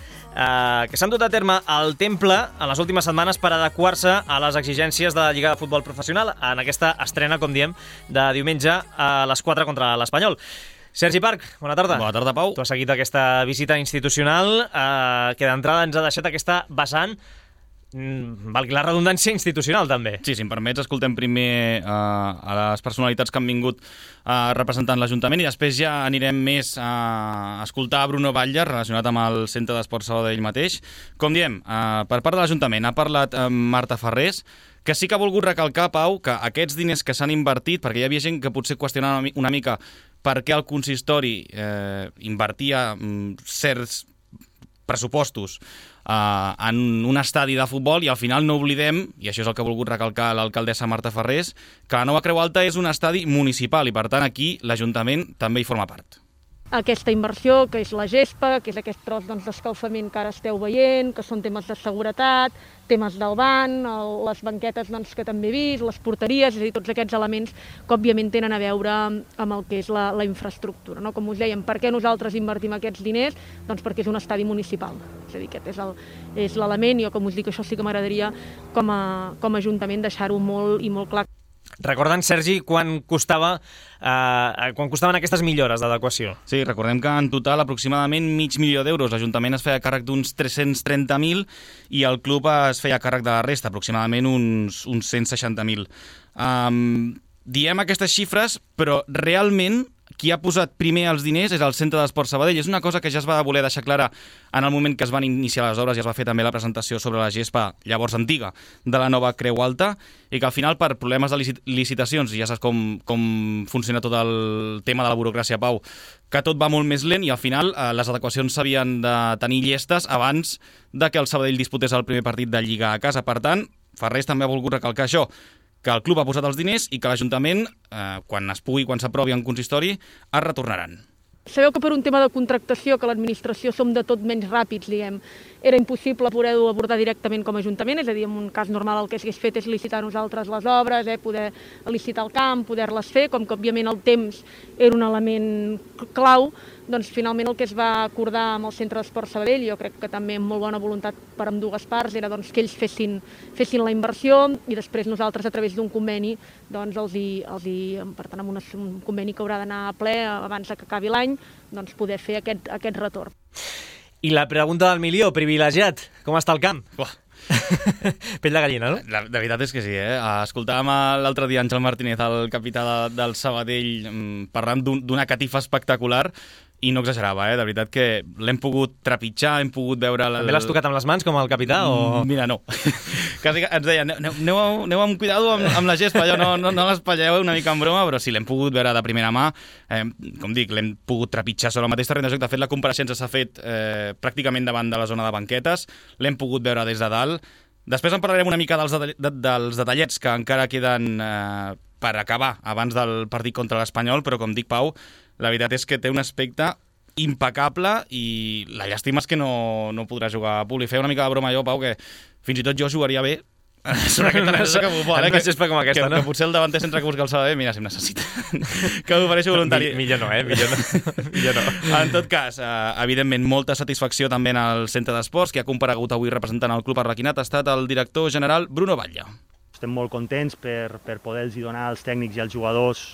que s'han dut a terme al temple en les últimes setmanes per adequar-se a les exigències de la Lliga de Futbol Professional en aquesta estrena, com diem, de diumenge a les 4 contra l'Espanyol. Sergi Parc, bona tarda. Bona tarda, Pau. Tu has seguit aquesta visita institucional que d'entrada ens ha deixat aquesta vessant, valgui la redundància, institucional també. Sí, si em permets, escoltem primer a les personalitats que han vingut representant l'Ajuntament i després ja anirem més a escoltar Bruno Batlle, relacionat amb el Centre d'Esport Sabadell mateix. Com diem, per part de l'Ajuntament ha parlat Marta Farrés, que sí que ha volgut recalcar, Pau, que aquests diners que s'han invertit, perquè hi havia gent que potser qüestionava una mica per què el consistori invertia certs pressupostos en un estadi de futbol i al final no oblidem, i això és el que ha volgut recalcar l'alcaldessa Marta Farrés, que la nova Creu Alta és un estadi municipal i per tant aquí l'Ajuntament també hi forma part. Aquesta inversió, que és la gespa, que és aquest tros d'escalfament que ara esteu veient, que són temes de seguretat, temes del banc, les banquetes que també he vist, les porteries, és a dir, tots aquests elements que òbviament tenen a veure amb el que és la infraestructura. No? Com us dèiem, per què nosaltres invertim aquests diners? Doncs perquè és un estadi municipal. És a dir, aquest és l'element i jo, com us dic, això sí que m'agradaria com a Ajuntament deixar-ho molt i molt clar. Recordant, Sergi, quan costaven aquestes millores d'adequació? Sí, recordem que en total aproximadament $500.000. L'Ajuntament es feia càrrec d'uns 330.000 i el club es feia càrrec de la resta, aproximadament uns 160.000. Diem aquestes xifres, però realment qui ha posat primer els diners és el Centre d'Esport Sabadell. És una cosa que ja es va voler deixar clara en el moment que es van iniciar les obres i es va fer també la presentació sobre la gespa llavors antiga de la nova Creu Alta i que al final per problemes de licitacions, ja saps com funciona tot el tema de la burocràcia, Pau, que tot va molt més lent i al final les adequacions s'havien de tenir llestes abans de que el Sabadell disputés el primer partit de Lliga a casa. Per tant, Farrés també ha volgut recalcar això, que el club ha posat els diners i que l'Ajuntament, quan es pugui, quan s'aprovi en consistori, es retornaran. Sabeu que per un tema de contractació, que l'administració som de tot menys ràpids, diguem, era impossible poder-ho abordar directament com a Ajuntament, és a dir, en un cas normal el que s'hagués fet és licitar nosaltres les obres, poder licitar el camp, poder-les fer, com que òbviament el temps era un element clau, doncs finalment el que es va acordar amb el Centre d'Esport Sabadell, jo crec que també amb molt bona voluntat per ambdues parts, era doncs, que ells fessin la inversió i després nosaltres a través d'un conveni doncs, per tant, amb un conveni que haurà d'anar a ple abans que acabi l'any, doncs, poder fer aquest retorn. I la pregunta del milió, privilegiat, com està el camp? Pell de gallina, no? La veritat és que sí, Escoltàvem l'altre dia Àngel Martínez, el capità del Sabadell, parlant d'una catifa espectacular i no exagerava, de veritat que l'hem pogut trepitjar, hem pogut veure... També l'has tocat amb les mans, com el capità, o...? Mira, no. Quasi ens deia, aneu amb cuidado amb la gespa, allò, no l'espatlleu una mica en broma, però sí, l'hem pogut veure de primera mà. Com dic, l'hem pogut trepitjar sobre el mateix terreny de joc. De fet, la compareixença s'ha fet pràcticament davant de la zona de banquetes, l'hem pogut veure des de dalt. Després en parlarem una mica dels detallets que encara queden per acabar abans del partit contra l'Espanyol, però com dic, Pau, la veritat és que té un aspecte impecable i la llàstima és que no podrà jugar a públic. Feia una mica de broma jo, Pau, que fins i tot jo jugaria bé sobre aquesta gespa que futbol, com aquesta, no? Que potser el davanter centre que busca el Sabadell, mira, si em necessita. Que m'ofereixo voluntari. Millor no. En tot cas, evidentment, molta satisfacció també en el Centre d'Esports, que ha comparegut avui representant el club arlequinat, ha estat el director general Bruno Batlle. Estem molt contents per poder-los donar als tècnics i als jugadors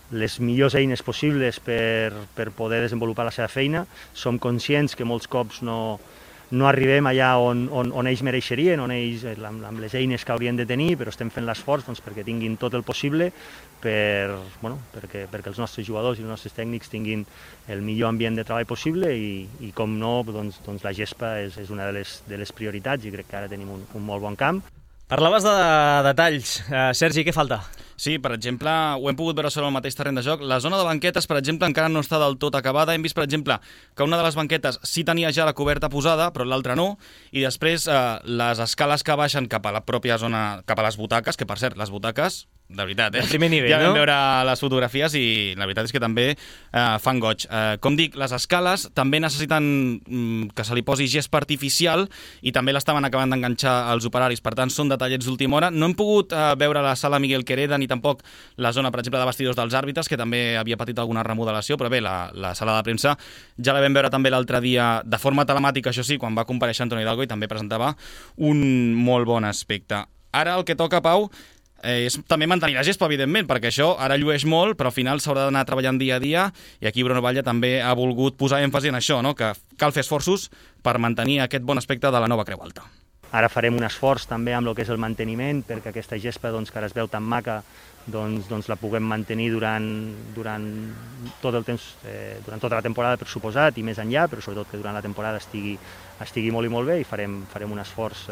les millors eines possibles per poder desenvolupar la seva feina. Som conscients que molts cops no arribem allà on ells mereixerien, on ells, amb les eines que haurien de tenir, però estem fent l'esforç perquè tinguin tot el possible perquè els nostres jugadors i els nostres tècnics tinguin el millor ambient de treball possible i com no, doncs la gespa és una de les prioritats i crec que ara tenim un molt bon camp. Parlaves de detalls. Sergi, què falta? Sí, per exemple, ho hem pogut veure sobre el mateix terreny de joc. La zona de banquetes, per exemple, encara no està del tot acabada. Hem vist, per exemple, que una de les banquetes sí tenia ja la coberta posada, però l'altra no. I després, les escales que baixen cap a la pròpia zona, cap a les butaques, que per cert, les butaques, de veritat, de primer nivell, ja vam no? veure les fotografies i la veritat és que també fan goig. Com dic, les escales també necessiten que se li posi gespa artificial i també l'estaven acabant d'enganxar els operaris. Per tant, són detallets d'última hora. No hem pogut veure la sala Miguel Quereda ni tampoc la zona, per exemple, de vestidors dels àrbitres, que també havia patit alguna remodelació, però bé, la sala de premsa ja la vam veure també l'altre dia de forma telemàtica, això sí, quan va comparèixer Antonio Hidalgo i també presentava un molt bon aspecte. Ara el que toca, Pau, és també mantenir la gespa, evidentment, perquè això ara llueix molt, però al final s'haurà d'anar treballant dia a dia, i aquí Bruno Batlle també ha volgut posar èmfasi en això, no? Que cal fer esforços per mantenir aquest bon aspecte de la nova Creu Alta. Ara farem un esforç també amb el que és el manteniment, perquè aquesta gespa que ara es veu tan maca doncs la puguem mantenir durant tot el temps, durant tota la temporada, per suposat, i més enllà, però sobretot que durant la temporada estigui molt i molt bé, i farem un esforç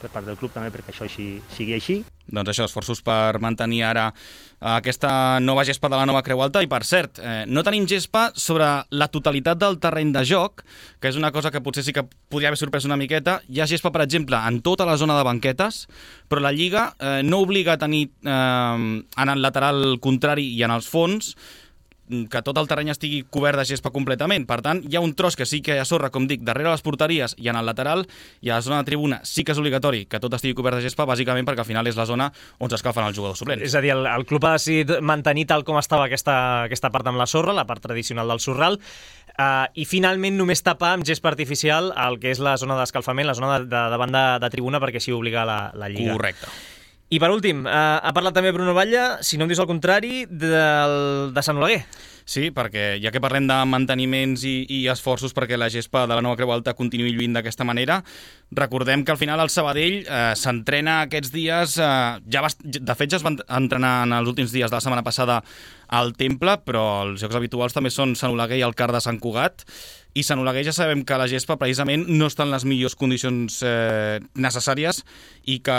per part del club també perquè això sigui així. Doncs això, esforços per mantenir ara aquesta nova gespa de la nova Creu Alta. I per cert, no tenim gespa sobre la totalitat del terreny de joc, que és una cosa que potser sí que podria haver sorprès una miqueta. Hi ha gespa, per exemple, en tota la zona de banquetes, però la Lliga no obliga a tenir en el lateral contrari i en els fons que tot el terreny estigui cobert de gespa completament. Per tant, hi ha un tros que sí que hi ha sorra, com dic, darrere les porteries i en el lateral, i a la zona de tribuna sí que és obligatori que tot estigui cobert de gespa, bàsicament perquè al final és la zona on s'escalfen els jugadors suplents. És a dir, el club ha decidit mantenir tal com estava aquesta part amb la sorra, la part tradicional del sorral, i finalment només tapar amb gespa artificial el que és la zona d'escalfament, la zona de davant de tribuna, perquè així obliga la Lliga. Correcte. I per últim, ha parlat també Bruno Batlle, si no em dius el contrari, de Sant Oleguer. Sí, perquè ja que parlem de manteniments i esforços perquè la gespa de la nova Creu Alta continuï lluint d'aquesta manera, recordem que al final el Sabadell s'entrena aquests dies, de fet ja es van entrenar en els últims dies de la setmana passada al Temple, però els jocs habituals també són Sant Oleguer i el Car de Sant Cugat, i Sant Oleguer ja sabem que la gespa precisament no està en les millors condicions necessàries i que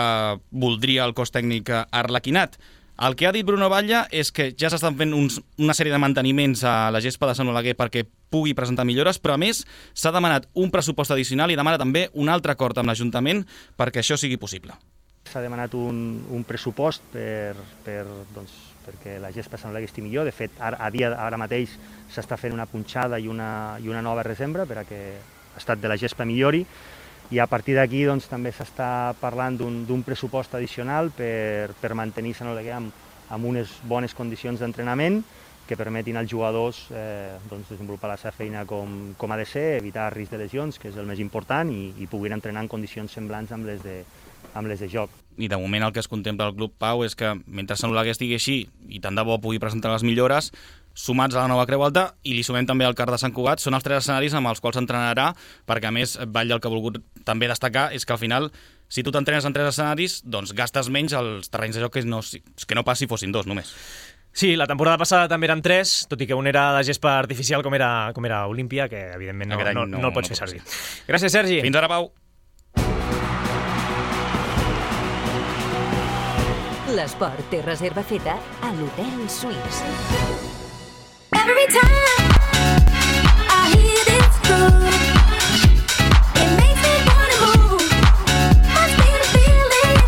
voldria el cos tècnic arlequinat. El que ha dit Bruno Batlle és que ja s'estan fent una sèrie de manteniments a la gespa de Sant Oleguer perquè pugui presentar millores, però a més s'ha demanat un pressupost addicional i demana també un altre acord amb l'Ajuntament perquè això sigui possible. S'ha demanat un pressupost perquè la gespa de Sant Oleguer estigui millor. De fet, ara mateix s'està fent una punxada i una nova resembra perquè l'estat de la gespa millori, i a partir d'aquí també s'està parlant d'un pressupost addicional per mantenir Sant Oleguer amb unes bones condicions d'entrenament que permetin als jugadors desenvolupar la seva feina com ha de ser, evitar risc de lesions, que és el més important, i puguin entrenar en condicions semblants amb les de joc. I de moment el que es contempla al club, Pau, és que mentre Sant Oleguer estigui així i tant de bo pugui presentar les millores, sumats a la nova Creu Alta, i li sumem també al Car de Sant Cugat, són els 3 escenaris amb els quals s'entrenarà, perquè a més Batlle el que ha volgut també destacar és que al final, si tu t'entrenes en 3 escenaris, doncs gastes menys els terrenys de joc que no pas si fossin 2 només. Sí, la temporada passada també eren 3, tot i que un era de gespa artificial com era Olímpia, que evidentment no el pots fer servir. Gràcies, Sergi. Fins ara, Pau. L'esport té reserva feta a l'Hotel Suís. Every time I hear this groove, it makes me wanna move. Must be the feeling.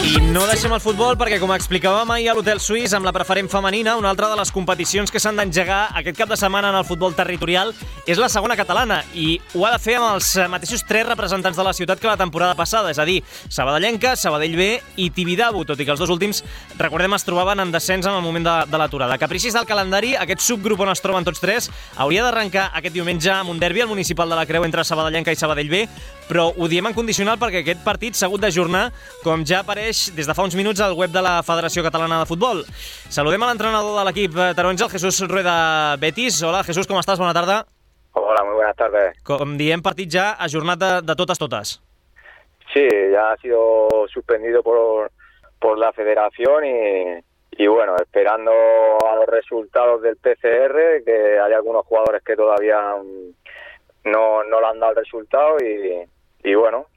I no deixem el futbol perquè, com explicàvem ahir a l'Hotel Suís amb la preferent femenina, una altra de les competicions que s'han d'engegar aquest cap de setmana en el futbol territorial és la segona catalana, i ho ha de fer amb els mateixos 3 representants de la ciutat que la temporada passada, és a dir, Sabadellenca, Sabadell B i Tibidabo, tot i que els 2 últims, recordem, es trobaven en descens en el moment de l'aturada. Capricis del calendari, aquest subgrup on es troben tots 3 hauria d'arrencar aquest diumenge amb un derbi al Municipal de la Creu entre Sabadellenca i Sabadell B, però ho diem en condicional perquè aquest partit s'ha hagut d'ajornar, com ja apareix des de fa uns minuts al web de la Federació Catalana de Futbol. Saludem a l'entrenador de l'equip taronja, el Jesús Rueda Betis. Hola, Jesús, com estàs? Bona tarda. Hola, muy buenas tardes. Com diem, partit ja ajornat de totes. Sí, ya ha sido suspendido por la federación y bueno, esperando a los resultados del PCR, que hay algunos jugadores que todavía no le han dado el resultado y bueno,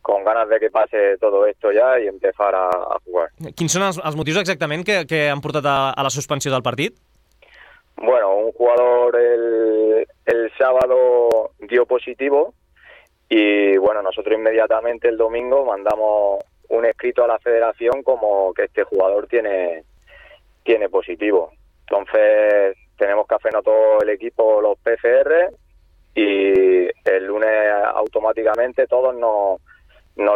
con ganas de que pase todo esto ya y empezar a jugar. Quins són els motius exactament que han portat a la suspensió del partit? Bueno, un jugador el sábado dio positivo y bueno, nosotros inmediatamente el domingo mandamos un escrito a la federación como que este jugador tiene positivo. Entonces tenemos que hacernos todo el equipo los PCR y el lunes automáticamente todos nos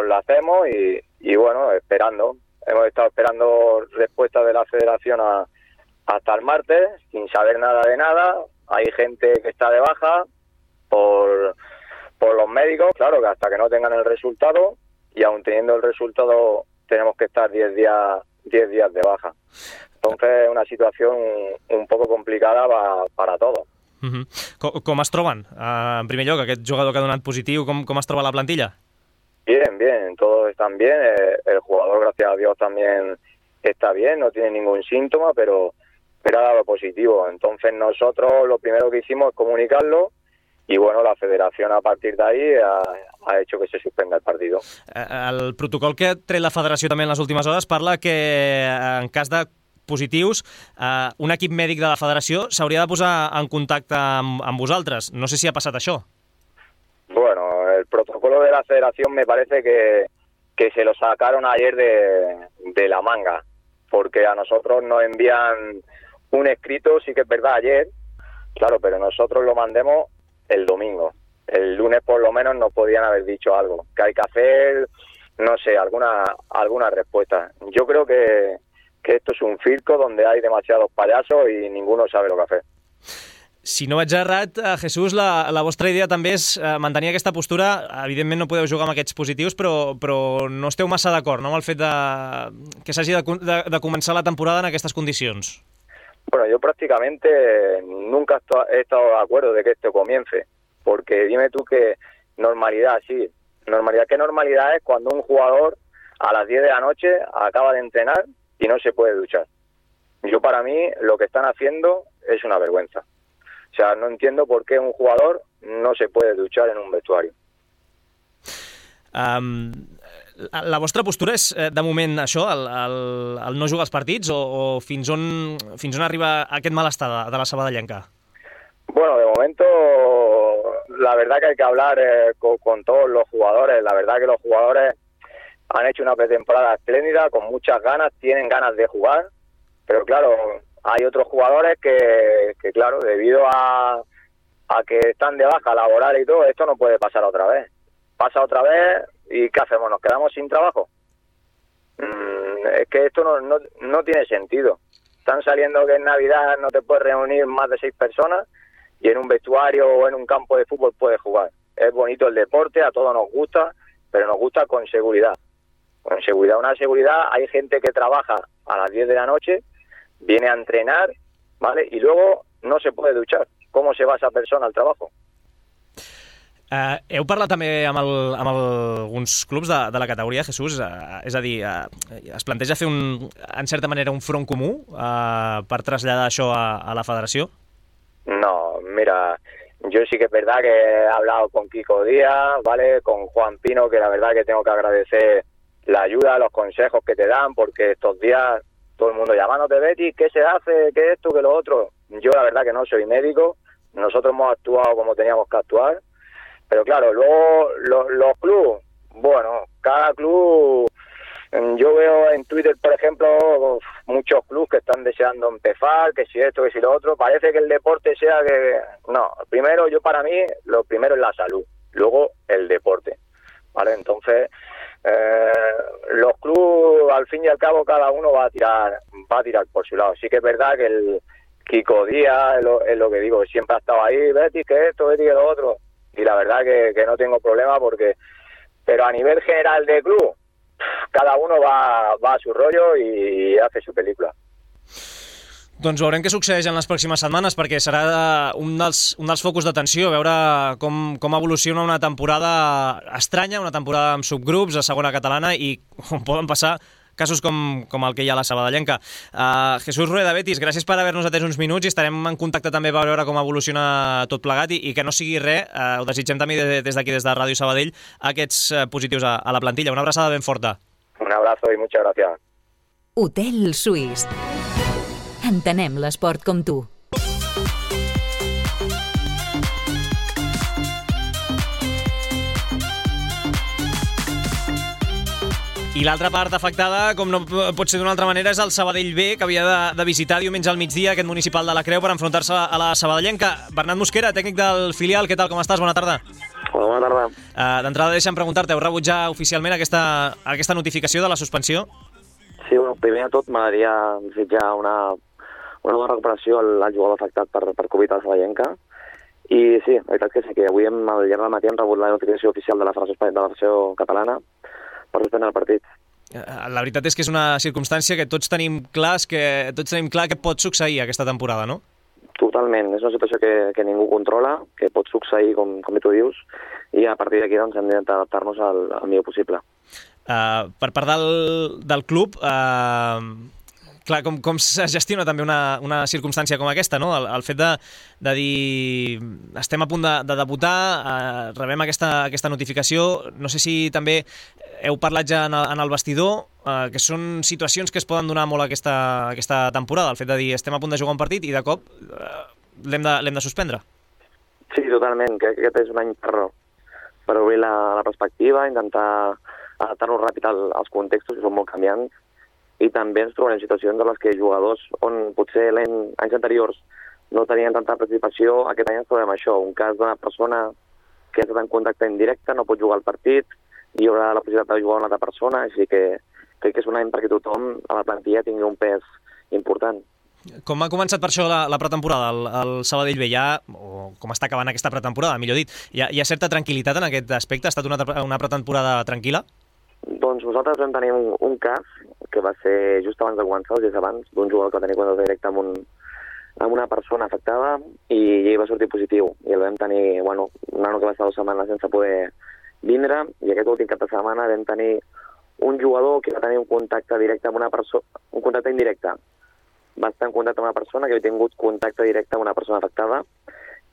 lo hacemos y bueno, esperando. Hemos estado esperando respuesta de la federación hasta el martes, sin saber nada de nada. Hay gente que está de baja por los médicos, claro, que hasta que no tengan el resultado, y aún teniendo el resultado tenemos que estar 10 días de baja. Entonces es una situación un poco complicada para todos. Com es troben? En primer lloc, aquest jugador que ha donat positiu, com es troba la plantilla? Bien, todos están bien. El jugador, gracias a Dios, también está bien, no tiene ningún síntoma, pero ha dado positivo. Entonces nosotros lo primero que hicimos es comunicarlo y bueno, la federación a partir de ahí ha hecho que se suspenda el partido. El protocol que ha tret la federació també en les últimes hores parla que en cas de positius un equip mèdic de la federació s'hauria de posar en contacte amb vosaltres. No sé si ha passat això. Bueno, el protocolo de la federación me parece que se lo sacaron ayer de la manga, porque a nosotros nos envían un escrito, sí que es verdad, ayer, claro, pero nosotros lo mandemos el domingo. El lunes por lo menos nos podían haber dicho algo, que hay que hacer, no sé, alguna respuesta. Yo creo que esto es un circo donde hay demasiados payasos y ninguno sabe lo que hacer. Si no vaig errat, Jesús, la vostra idea també és mantenir aquesta postura. Evidentment no podeu jugar amb aquests positius, però no esteu massa d'acord, no?, amb el fet que s'hagi de començar la temporada en aquestes condicions. Bueno, yo prácticamente nunca he estado de acuerdo de que esto comience, porque dime tú que normalidad, sí. ¿Qué normalidad es cuando un jugador a las 10 de la noche acaba de entrenar y no se puede duchar? Yo, para mí, lo que están haciendo es una vergüenza. O sea, no entiendo por qué un jugador no se puede duchar en un vestuario. La vostra postura és, de moment, això, el no jugar als partits, o fins on arriba aquest malestar de la sabadellenca? Bueno, de momento, la verdad que hay que hablar con todos los jugadores. La verdad que los jugadores han hecho una pretemporada espléndida, con muchas ganas, tienen ganas de jugar, pero claro, hay otros jugadores que claro, debido a que están de baja laboral y todo, esto no puede pasar otra vez. Pasa otra vez y ¿qué hacemos? ¿Nos quedamos sin trabajo? Es que esto no tiene sentido. Están saliendo que en Navidad no te puedes reunir más de 6 personas y en un vestuario o en un campo de fútbol puedes jugar. Es bonito el deporte, a todos nos gusta, pero nos gusta con seguridad. Con seguridad, una seguridad. Hay gente que trabaja a las 10 de la noche, viene a entrenar, ¿vale? Y luego no se puede duchar. ¿Cómo se va esa persona al trabajo? Heu parlat també amb alguns clubs de la categoria, Jesús? És a dir, es planteja fer, en certa manera, un front comú per traslladar això a la federació? No, mira, yo sí que es verdad que he hablado con Kiko Díaz, ¿vale? Con Juan Pino, que la verdad que tengo que agradecer la ayuda, los consejos que te dan, porque estos días todo el mundo llamándote, Betis, ¿qué se hace? ¿Qué esto? ¿Qué lo otro? Yo la verdad que no soy médico, nosotros hemos actuado como teníamos que actuar, pero claro, luego los clubes, bueno, cada club, yo veo en Twitter, por ejemplo, muchos clubes que están deseando empezar, que si esto, que si lo otro, parece que el deporte sea que... No, primero, para mí, lo primero es la salud, luego el deporte, ¿vale? Entonces, los clubes, al fin y al cabo, cada uno va a tirar por su lado. Sí que es verdad que el Kiko Díaz, es lo que digo, siempre ha estado ahí, Betis, que esto, Betis, que lo otro, y la verdad que no tengo problema porque... Pero a nivel general de club, cada uno va a su rollo i hace su pel·lícula. Doncs veurem què succeeix en les pròximes setmanes, perquè serà un dels focus d'atenció, veure com evoluciona una temporada estranya, una temporada amb subgrups a segona catalana, i on poden passar casos com el que hi ha a la Sabadellenca. Jesús Rueda, Betis, gràcies per haver-nos atès uns minuts i estarem en contacte també per veure com evoluciona tot plegat i que no sigui res, ho desitgem també des d'aquí, des de Ràdio Sabadell, aquests positius a la plantilla. Una abraçada ben forta. Un abrazo y muchas gracias. Hotel Suís. Entenem l'esport com tu. I l'altra part afectada, com no pot ser d'una altra manera, és el Sabadell B, que havia de visitar diumenge al migdia aquest municipal de la Creu per enfrontar-se a la Sabadellenca. Bernat Mosquera, tècnic del filial, què tal, com estàs? Bona tarda. Hola, bona tarda. D'entrada, deixa'm preguntar-te, heu rebut ja oficialment aquesta notificació de la suspensió? Sí, bueno, primer de tot m'agradaria desitjar una bona recuperació al jugador afectat per Covid a la Sabadellenca. I sí, la veritat que sí, que avui al llarg del matí hem rebut la notificació oficial de la Federació Catalana per suspendre el partit. La veritat és que és una circumstància que tots tenim clar que pot succeir aquesta temporada, no? Totalment, és una situació que ningú controla, que pot succeir, com tu dius, i a partir d'aquí doncs, hem d'intentar adaptar-nos al millor possible. Per part del club, clar, com se gestiona també una circumstància com aquesta, no? El fet de dir estem a punt de debutar, rebem aquesta notificació, no sé si també heu parlat ja en el vestidor, que són situacions que es poden donar molt aquesta temporada, el fet de dir estem a punt de jugar un partit i de cop l'hem de suspendre. Sí, totalment, crec que aquest és un any per obrir la perspectiva, intentar adaptar-nos ràpid als contextos que són molt canviants, i també ens trobarem situacions en les que jugadors on potser anys anteriors no tenien tanta participació, aquest any ens trobem això, un cas d'una persona que ha estat en contacte indirecte, no pot jugar al partit, i hi haurà la possibilitat de jugar una altra persona, així que crec que és un any perquè tothom a la plantilla tingui un pes important. Com ha començat per això la pretemporada, el Sabadell B, o com està acabant aquesta pretemporada, millor dit, hi ha certa tranquil·litat en aquest aspecte? Ha estat una pretemporada tranquil·la? Doncs nosaltres vam tenir un cas que va ser just abans de començar, o des abans, d'un jugador que va tenir contacte directe amb una persona afectada i ell va sortir positiu. I el vam tenir, un nano que va estar 2 setmanes sense poder vindre, i aquest últim cap de setmana vam tenir un jugador que va tenir un contacte directe amb una persona, un contacte indirecte. Va estar en contacte amb una persona que havia tingut contacte directe amb una persona afectada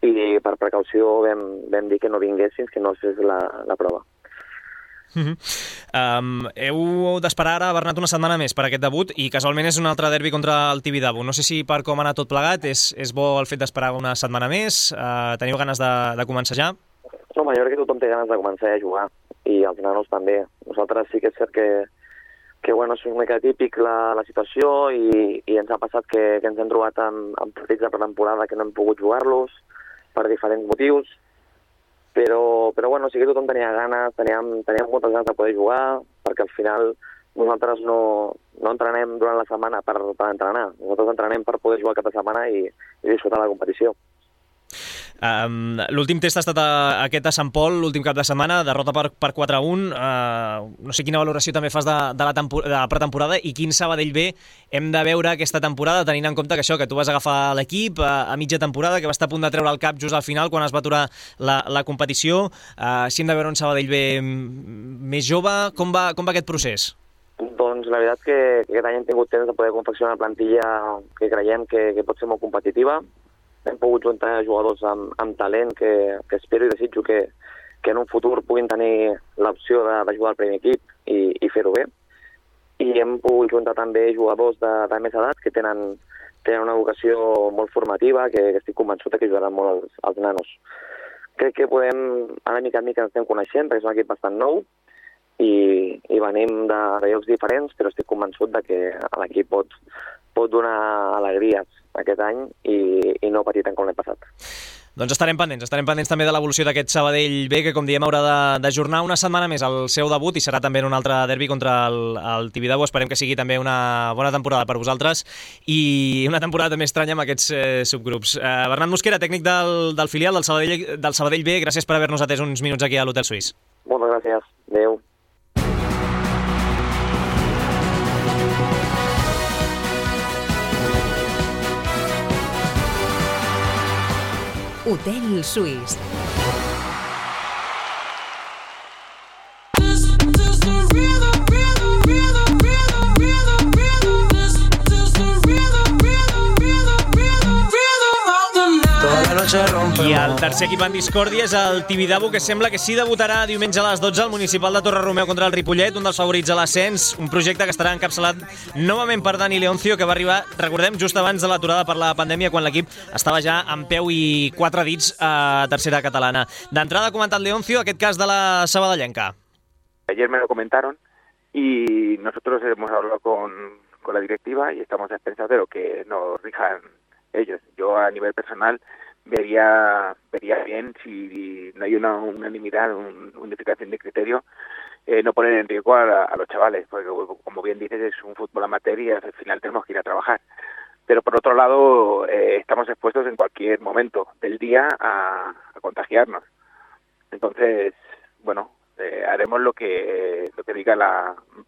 i per precaució vam dir que no vingués fins que no es fes la prova. Heu d'esperar ara, Bernat, una setmana més per aquest debut i casualment és un altre derbi contra el Tibidabo. No sé si per com ha anat tot plegat és bo el fet d'esperar una setmana més, teniu ganes de començar ja? Home, jo crec que tothom té ganes de començar a jugar i els nanos també. Nosaltres sí que és cert que és una mica típic la situació i ens ha passat que ens hem trobat amb partits de pretemporada que no hem pogut jugar-los per diferents motius, però sí que tothom tenia ganes, teníem moltes ganes de poder jugar, perquè al final nosaltres no entrenem durant la setmana per entrenar, nosaltres entrenem per poder jugar cap de setmana i disfrutar la competició. L'últim test ha estat aquest a Sant Pol, l'últim cap de setmana, derrota per 4-1. No sé quina valoració també fas de la pretemporada i quin Sabadell B hem de veure aquesta temporada, tenint en compte que tu vas agafar l'equip a mitja temporada, que va estar a punt de treure el cap just al final quan es va aturar la competició. Si hem de veure un Sabadell B més jove, com va aquest procés? Doncs la veritat que aquest any hem tingut temps de poder confeccionar una plantilla que creiem que pot ser molt competitiva. Hem pogut juntar jugadors amb talent que espero i desitjo que en un futur puguin tenir l'opció de jugar al primer equip i fer-ho bé. I hem pogut juntar també jugadors de més edat que tenen una vocació molt formativa, que estic convençut que ajudaran molt als nanos. Crec que podem, ara mica en mica ens estem coneixent, perquè és un equip bastant nou i venim de llocs diferents, però estic convençut que l'equip pot donar alegries aquest any i no patir tant com l'any passat. Doncs estarem pendents també de l'evolució d'aquest Sabadell B, que com diem haurà d'ajornar una setmana més el seu debut i serà també en un altre derbi contra el Tibidabo. Esperem que sigui també una bona temporada per vosaltres i una temporada també estranya amb aquests subgrups. Bernat Mosquera, tècnic del filial del Sabadell B, gràcies per haver-nos atès uns minuts aquí a l'Hotel Suís. Moltes gràcies. Adéu. Hotel Suís. I el tercer equip en discòrdia és el Tibidabo, que sembla que sí debutarà diumenge a les 12 al municipal de Torre-Romeu contra el Ripollet, un dels favorits a l'ascens, un projecte que estarà encapçalat novament per Dani Leoncio, que va arribar, recordem, just abans de l'aturada per la pandèmia, quan l'equip estava ja en peu i 4 dits a tercera catalana. D'entrada ha comentat Leoncio aquest cas de la sabadellenca. Ayer me lo comentaron y nosotros hemos hablado con la directiva y estamos a expensas de lo que nos rijan ellos. Yo a nivel personal vería bien, si no hay una unanimidad, una unificación de criterio, no poner en riesgo a los chavales, porque como bien dices es un fútbol amateur y al final tenemos que ir a trabajar. Pero por otro lado estamos expuestos en cualquier momento del día a contagiarnos. Entonces, bueno, haremos lo que diga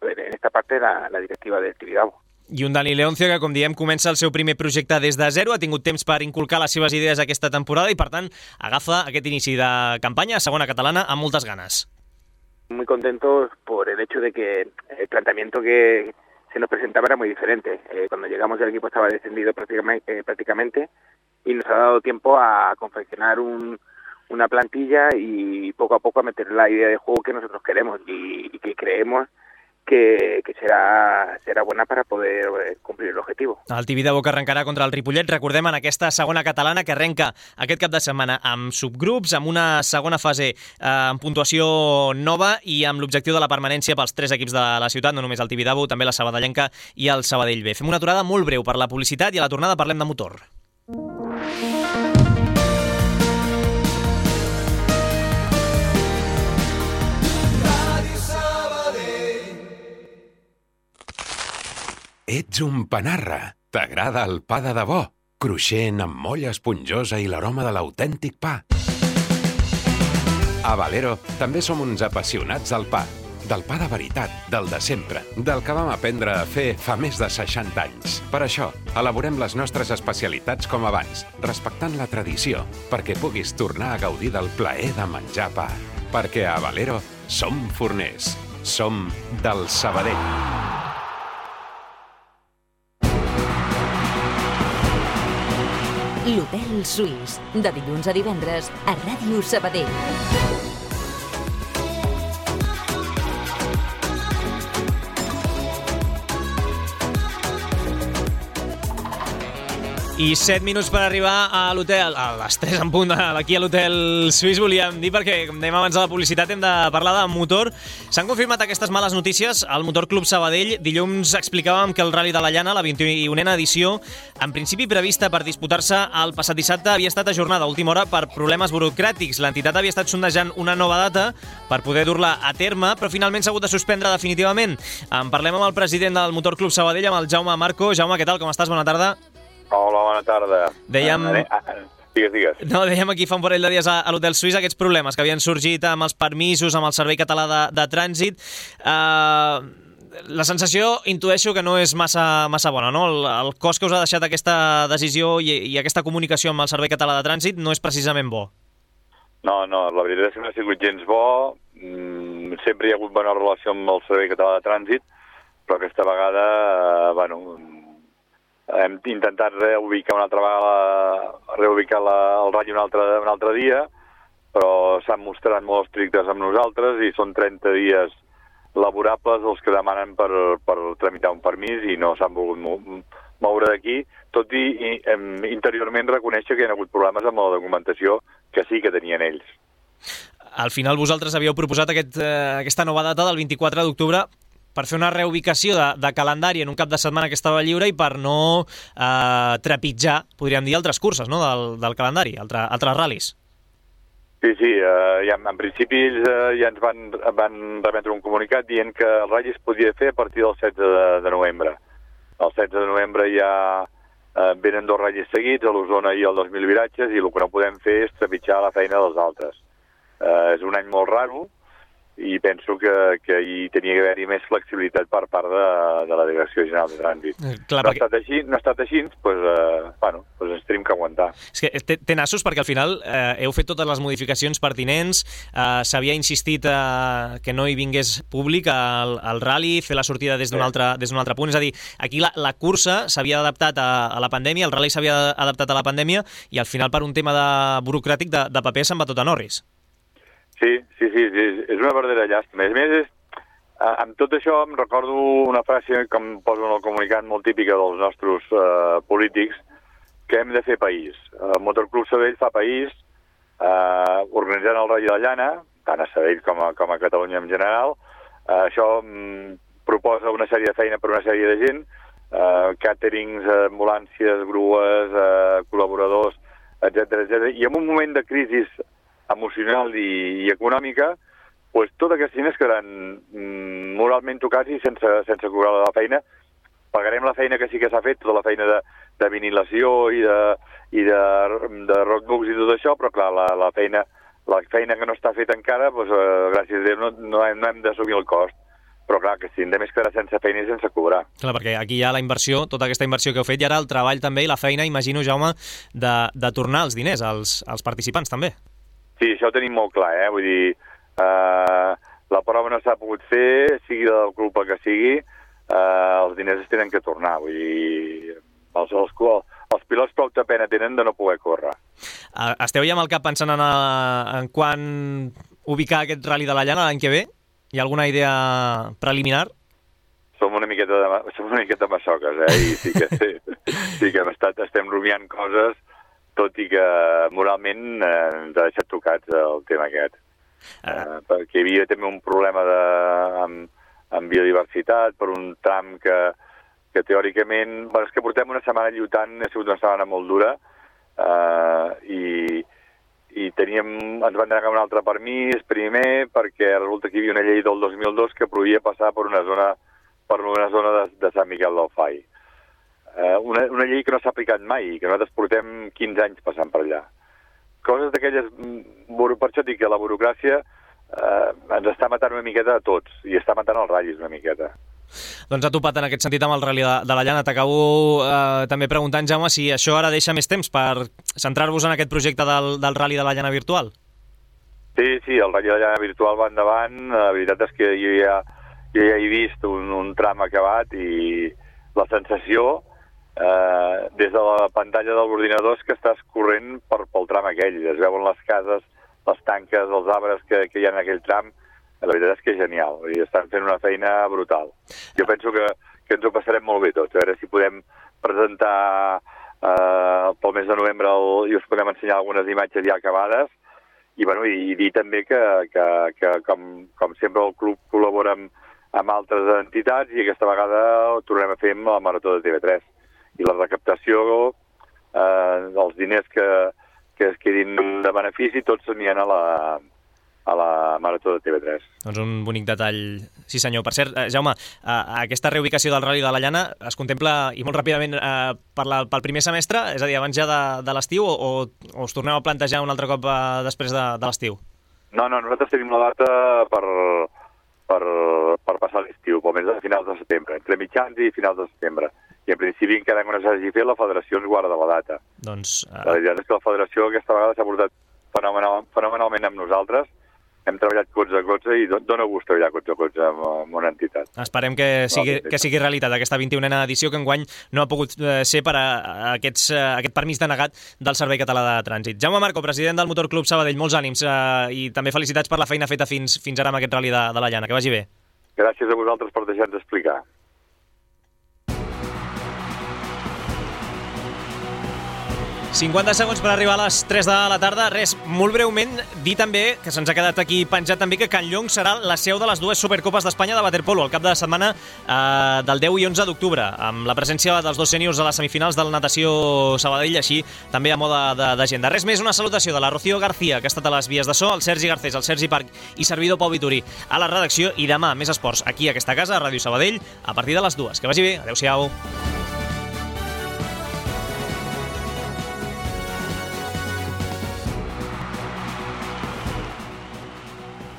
en esta parte la directiva del Tibidabo. I un Dani Leoncio que, com diem, comença el seu primer projecte des de zero, ha tingut temps per inculcar les seves idees aquesta temporada i, per tant, agafa aquest inici de campanya a segona catalana amb moltes ganes. Muy contentos por el hecho de que el planteamiento que se nos presentaba era muy diferente. Cuando llegamos el equipo estaba descendido prácticamente y nos ha dado tiempo a confeccionar una plantilla y poco a poco a meter la idea de juego que nosotros queremos y que creemos que serà bona per a poder complir l'objectiu. El Tibidabo que arrencarà contra el Ripollet, recordem, en aquesta segona catalana que arrenca aquest cap de setmana amb subgrups, amb una segona fase amb puntuació nova i amb l'objectiu de la permanència pels 3 equips de la ciutat, no només el Tibidabo, també la Sabadellenca i el Sabadell B. Fem una aturada molt breu per la publicitat i a la tornada parlem de motor. Ets un panarra. T'agrada el pa de debò, cruixent amb molla esponjosa i l'aroma de l'autèntic pa. A Valero també som uns apassionats del pa. Del pa de veritat, del de sempre, del que vam aprendre a fer fa més de 60 anys. Per això, elaborem les nostres especialitats com abans, respectant la tradició, perquè puguis tornar a gaudir del plaer de menjar pa. Perquè a Valero som forners. Som del Sabadell. L'Hotel Suís, de dilluns a divendres a Ràdio Sabadell. I 7 minuts per arribar a l'hotel, a les 3 en punt, aquí a l'Hotel Suís, volíem dir, perquè, com dèiem abans de la publicitat, hem de parlar de motor. S'han confirmat aquestes males notícies al Motor Club Sabadell. Dilluns explicàvem que el Rally de la Llana, la 21a edició, en principi prevista per disputar-se el passat dissabte, havia estat ajornada a última hora per problemes burocràtics. L'entitat havia estat sondejant una nova data per poder dur-la a terme, però finalment s'ha hagut de suspendre definitivament. En parlem amb el president del Motor Club Sabadell, amb el Jaume Marco. Jaume, què tal? Com estàs? Bona tarda. Hola, bona tarda. Dèiem... Digues. No, dèiem aquí fa un parell de dies a l'Hotel Suís aquests problemes que havien sorgit amb els permisos, amb el Servei Català de Trànsit. La sensació, intueixo que no és massa bona, no? El cost que us ha deixat aquesta decisió i aquesta comunicació amb el Servei Català de Trànsit no és precisament bo. No, la veritat és que no ha sigut gens bo. Sempre hi ha hagut bona relació amb el Servei Català de Trànsit, però aquesta vegada, hem intentat reubicar una altra vegada, el ratll un altre dia, però s'han mostrat molt estrictes amb nosaltres i són 30 dies laborables els que demanen per tramitar un permís i no s'han volgut moure d'aquí, tot i interiorment reconèixer que hi ha hagut problemes amb la documentació que sí que tenien ells. Al final vosaltres havíeu proposat aquesta nova data del 24 d'octubre per fer una reubicació de calendari en un cap de setmana que estava lliure i per no trepitjar, podríem dir, altres curses, no?, del calendari, altres ral·lis. Sí, en principi ells ja ens van remetre un comunicat dient que el ratll es podia fer a partir del 16 de novembre. El 16 de novembre ja venen 2 ratllis seguits, a l'Osona i el 2.000 viratges, i el que no podem fer és trepitjar la feina dels altres. És un any molt raro, i penso que hi tenia d'haver-hi més flexibilitat per part de la Direcció General de Trànsit. Clar, no ha estat així, doncs ens tenim que aguantar. És que té nassos perquè al final heu fet totes les modificacions pertinents, s'havia insistit que no hi vingués públic al rally, fer la sortida des d'un altre punt, és a dir, aquí la cursa s'havia adaptat a la pandèmia, el rally s'havia adaptat a la pandèmia i al final per un tema burocràtic de paper se'n va tot a Norris. Sí, és una verdadera llàstima. A més, amb tot això em recordo una frase que em poso en el comunicat molt típica dels nostres polítics, que hem de fer país. El Motorclub Sabadell fa país, organitzant el Rally de la Llana, tant a Sabadell com a Catalunya en general. Això proposa una sèrie de feina per una sèrie de gent, càterings, ambulàncies, grues, col·laboradors, etc. I en un moment de crisi emocional i econòmica, doncs tots aquests diners quedaran moralment tocats i sense cobrar la feina. Pagarem la feina que sí que s'ha fet, tota la feina de vinilació i de roadbooks i tot això, però clar, la feina que no està feta encara, doncs, gràcies a Déu, no hem d'assumir el cost. Però clar, que si a més quedarà sense feina i sense cobrar. Clar, perquè aquí hi ha la inversió, tota aquesta inversió que heu fet, i ara el treball també i la feina, imagino, Jaume, de tornar els diners als participants també. Sí, això ho tenim molt clar, Vull dir, la prova no s'ha pogut fer, sigui del club que sigui, els diners es tenen que tornar. Vull dir, els pilots prou pena tenen de no poder córrer. Esteu ja amb el cap pensant en quan ubicar aquest Rally de la Llana l'any que ve? Hi ha alguna idea preliminar? Som una miqueta massoques, I sí que estem rumiant coses, tot i que moralment ens ha deixat tocats el tema aquest. Perquè hi havia també un problema amb biodiversitat, per un tram que teòricament... és que portem una setmana lluitant, ha sigut una setmana molt dura, i ens van negar un altre permís primer, perquè resulta que hi havia una llei del 2002 que prohibia passar per una zona de Sant Miquel del Fai. Una llei que no s'ha aplicat mai, que nosaltres portem 15 anys passant per allà. Coses d'aquelles... Per això dic que la burocràcia ens està matant una miqueta a tots, i està matant els ratllis una miqueta. Doncs ha topat en aquest sentit amb el Rally de la Llana. T'acabo també preguntant, Jaume, si això ara deixa més temps per centrar-vos en aquest projecte del Rally de la Llana virtual. Sí, el Rally de la Llana virtual va endavant. La veritat és que jo ja he vist un tram acabat i la sensació des de la pantalla de l'ordinador és que estàs corrent pel tram aquell. Es veuen les cases, les tanques, els arbres que hi ha en aquell tram. La veritat és que és genial. I estan fent una feina brutal. Jo penso que ens ho passarem molt bé tots. A veure si podem presentar pel mes de novembre i us podem ensenyar algunes imatges ja acabades. I dir també que com sempre el club col·labora amb altres entitats i aquesta vegada ho tornem a fer amb la Marató de TV3. I la recaptació dels diners que es quedin de benefici tots s'anien a la Marató de TV3. Doncs un bonic detall, sí senyor. Per cert, Jaume, aquesta reubicació del Rally de la Llana es contempla, i molt ràpidament, pel primer semestre, és a dir, abans ja de l'estiu, o us torneu a plantejar un altre cop després de l'estiu? No, nosaltres tenim la data per passar l'estiu, pel mes de finals de setembre, entre mitjans i finals de setembre. I en principi encara que no s'hagi fet, la federació ens guarda la data. Doncs... La veritat és que la federació aquesta vegada s'ha portat fenomenalment amb nosaltres. Hem treballat colze a colze i dona gust treballar colze a colze amb una entitat. Esperem que sigui realitat aquesta 21a edició, que enguany no ha pogut ser per a aquest permís denegat del Servei Català de Trànsit. Jaume Marco, president del Motorclub Sabadell, molts ànims i també felicitats per la feina feta fins ara amb aquest Rally de la Llana. Que vagi bé. Gràcies a vosaltres per deixar-nos explicar. 50 segons per arribar a les 3 de la tarda. Res, molt breument, dir també, que se'ns ha quedat aquí penjat també, que Can Llong serà la seu de les dues Supercopes d'Espanya de waterpolo al cap de setmana del 10 i 11 d'octubre, amb la presència dels dos sèniors a les semifinals del Natació Sabadell, així també a moda d'agenda. Res més, una salutació de la Rocío García, que ha estat a les vies de so, el Sergi Garcés, el Sergi Parc i servidor Pau Vituri a la redacció, i demà més esports aquí a aquesta casa, a Ràdio Sabadell, a partir de les 2. Que vagi bé, adeu-siau.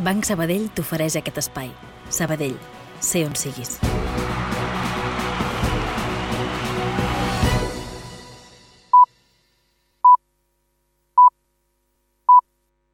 Banc Sabadell t'ofereix aquest espai. Sabadell, sé on siguis.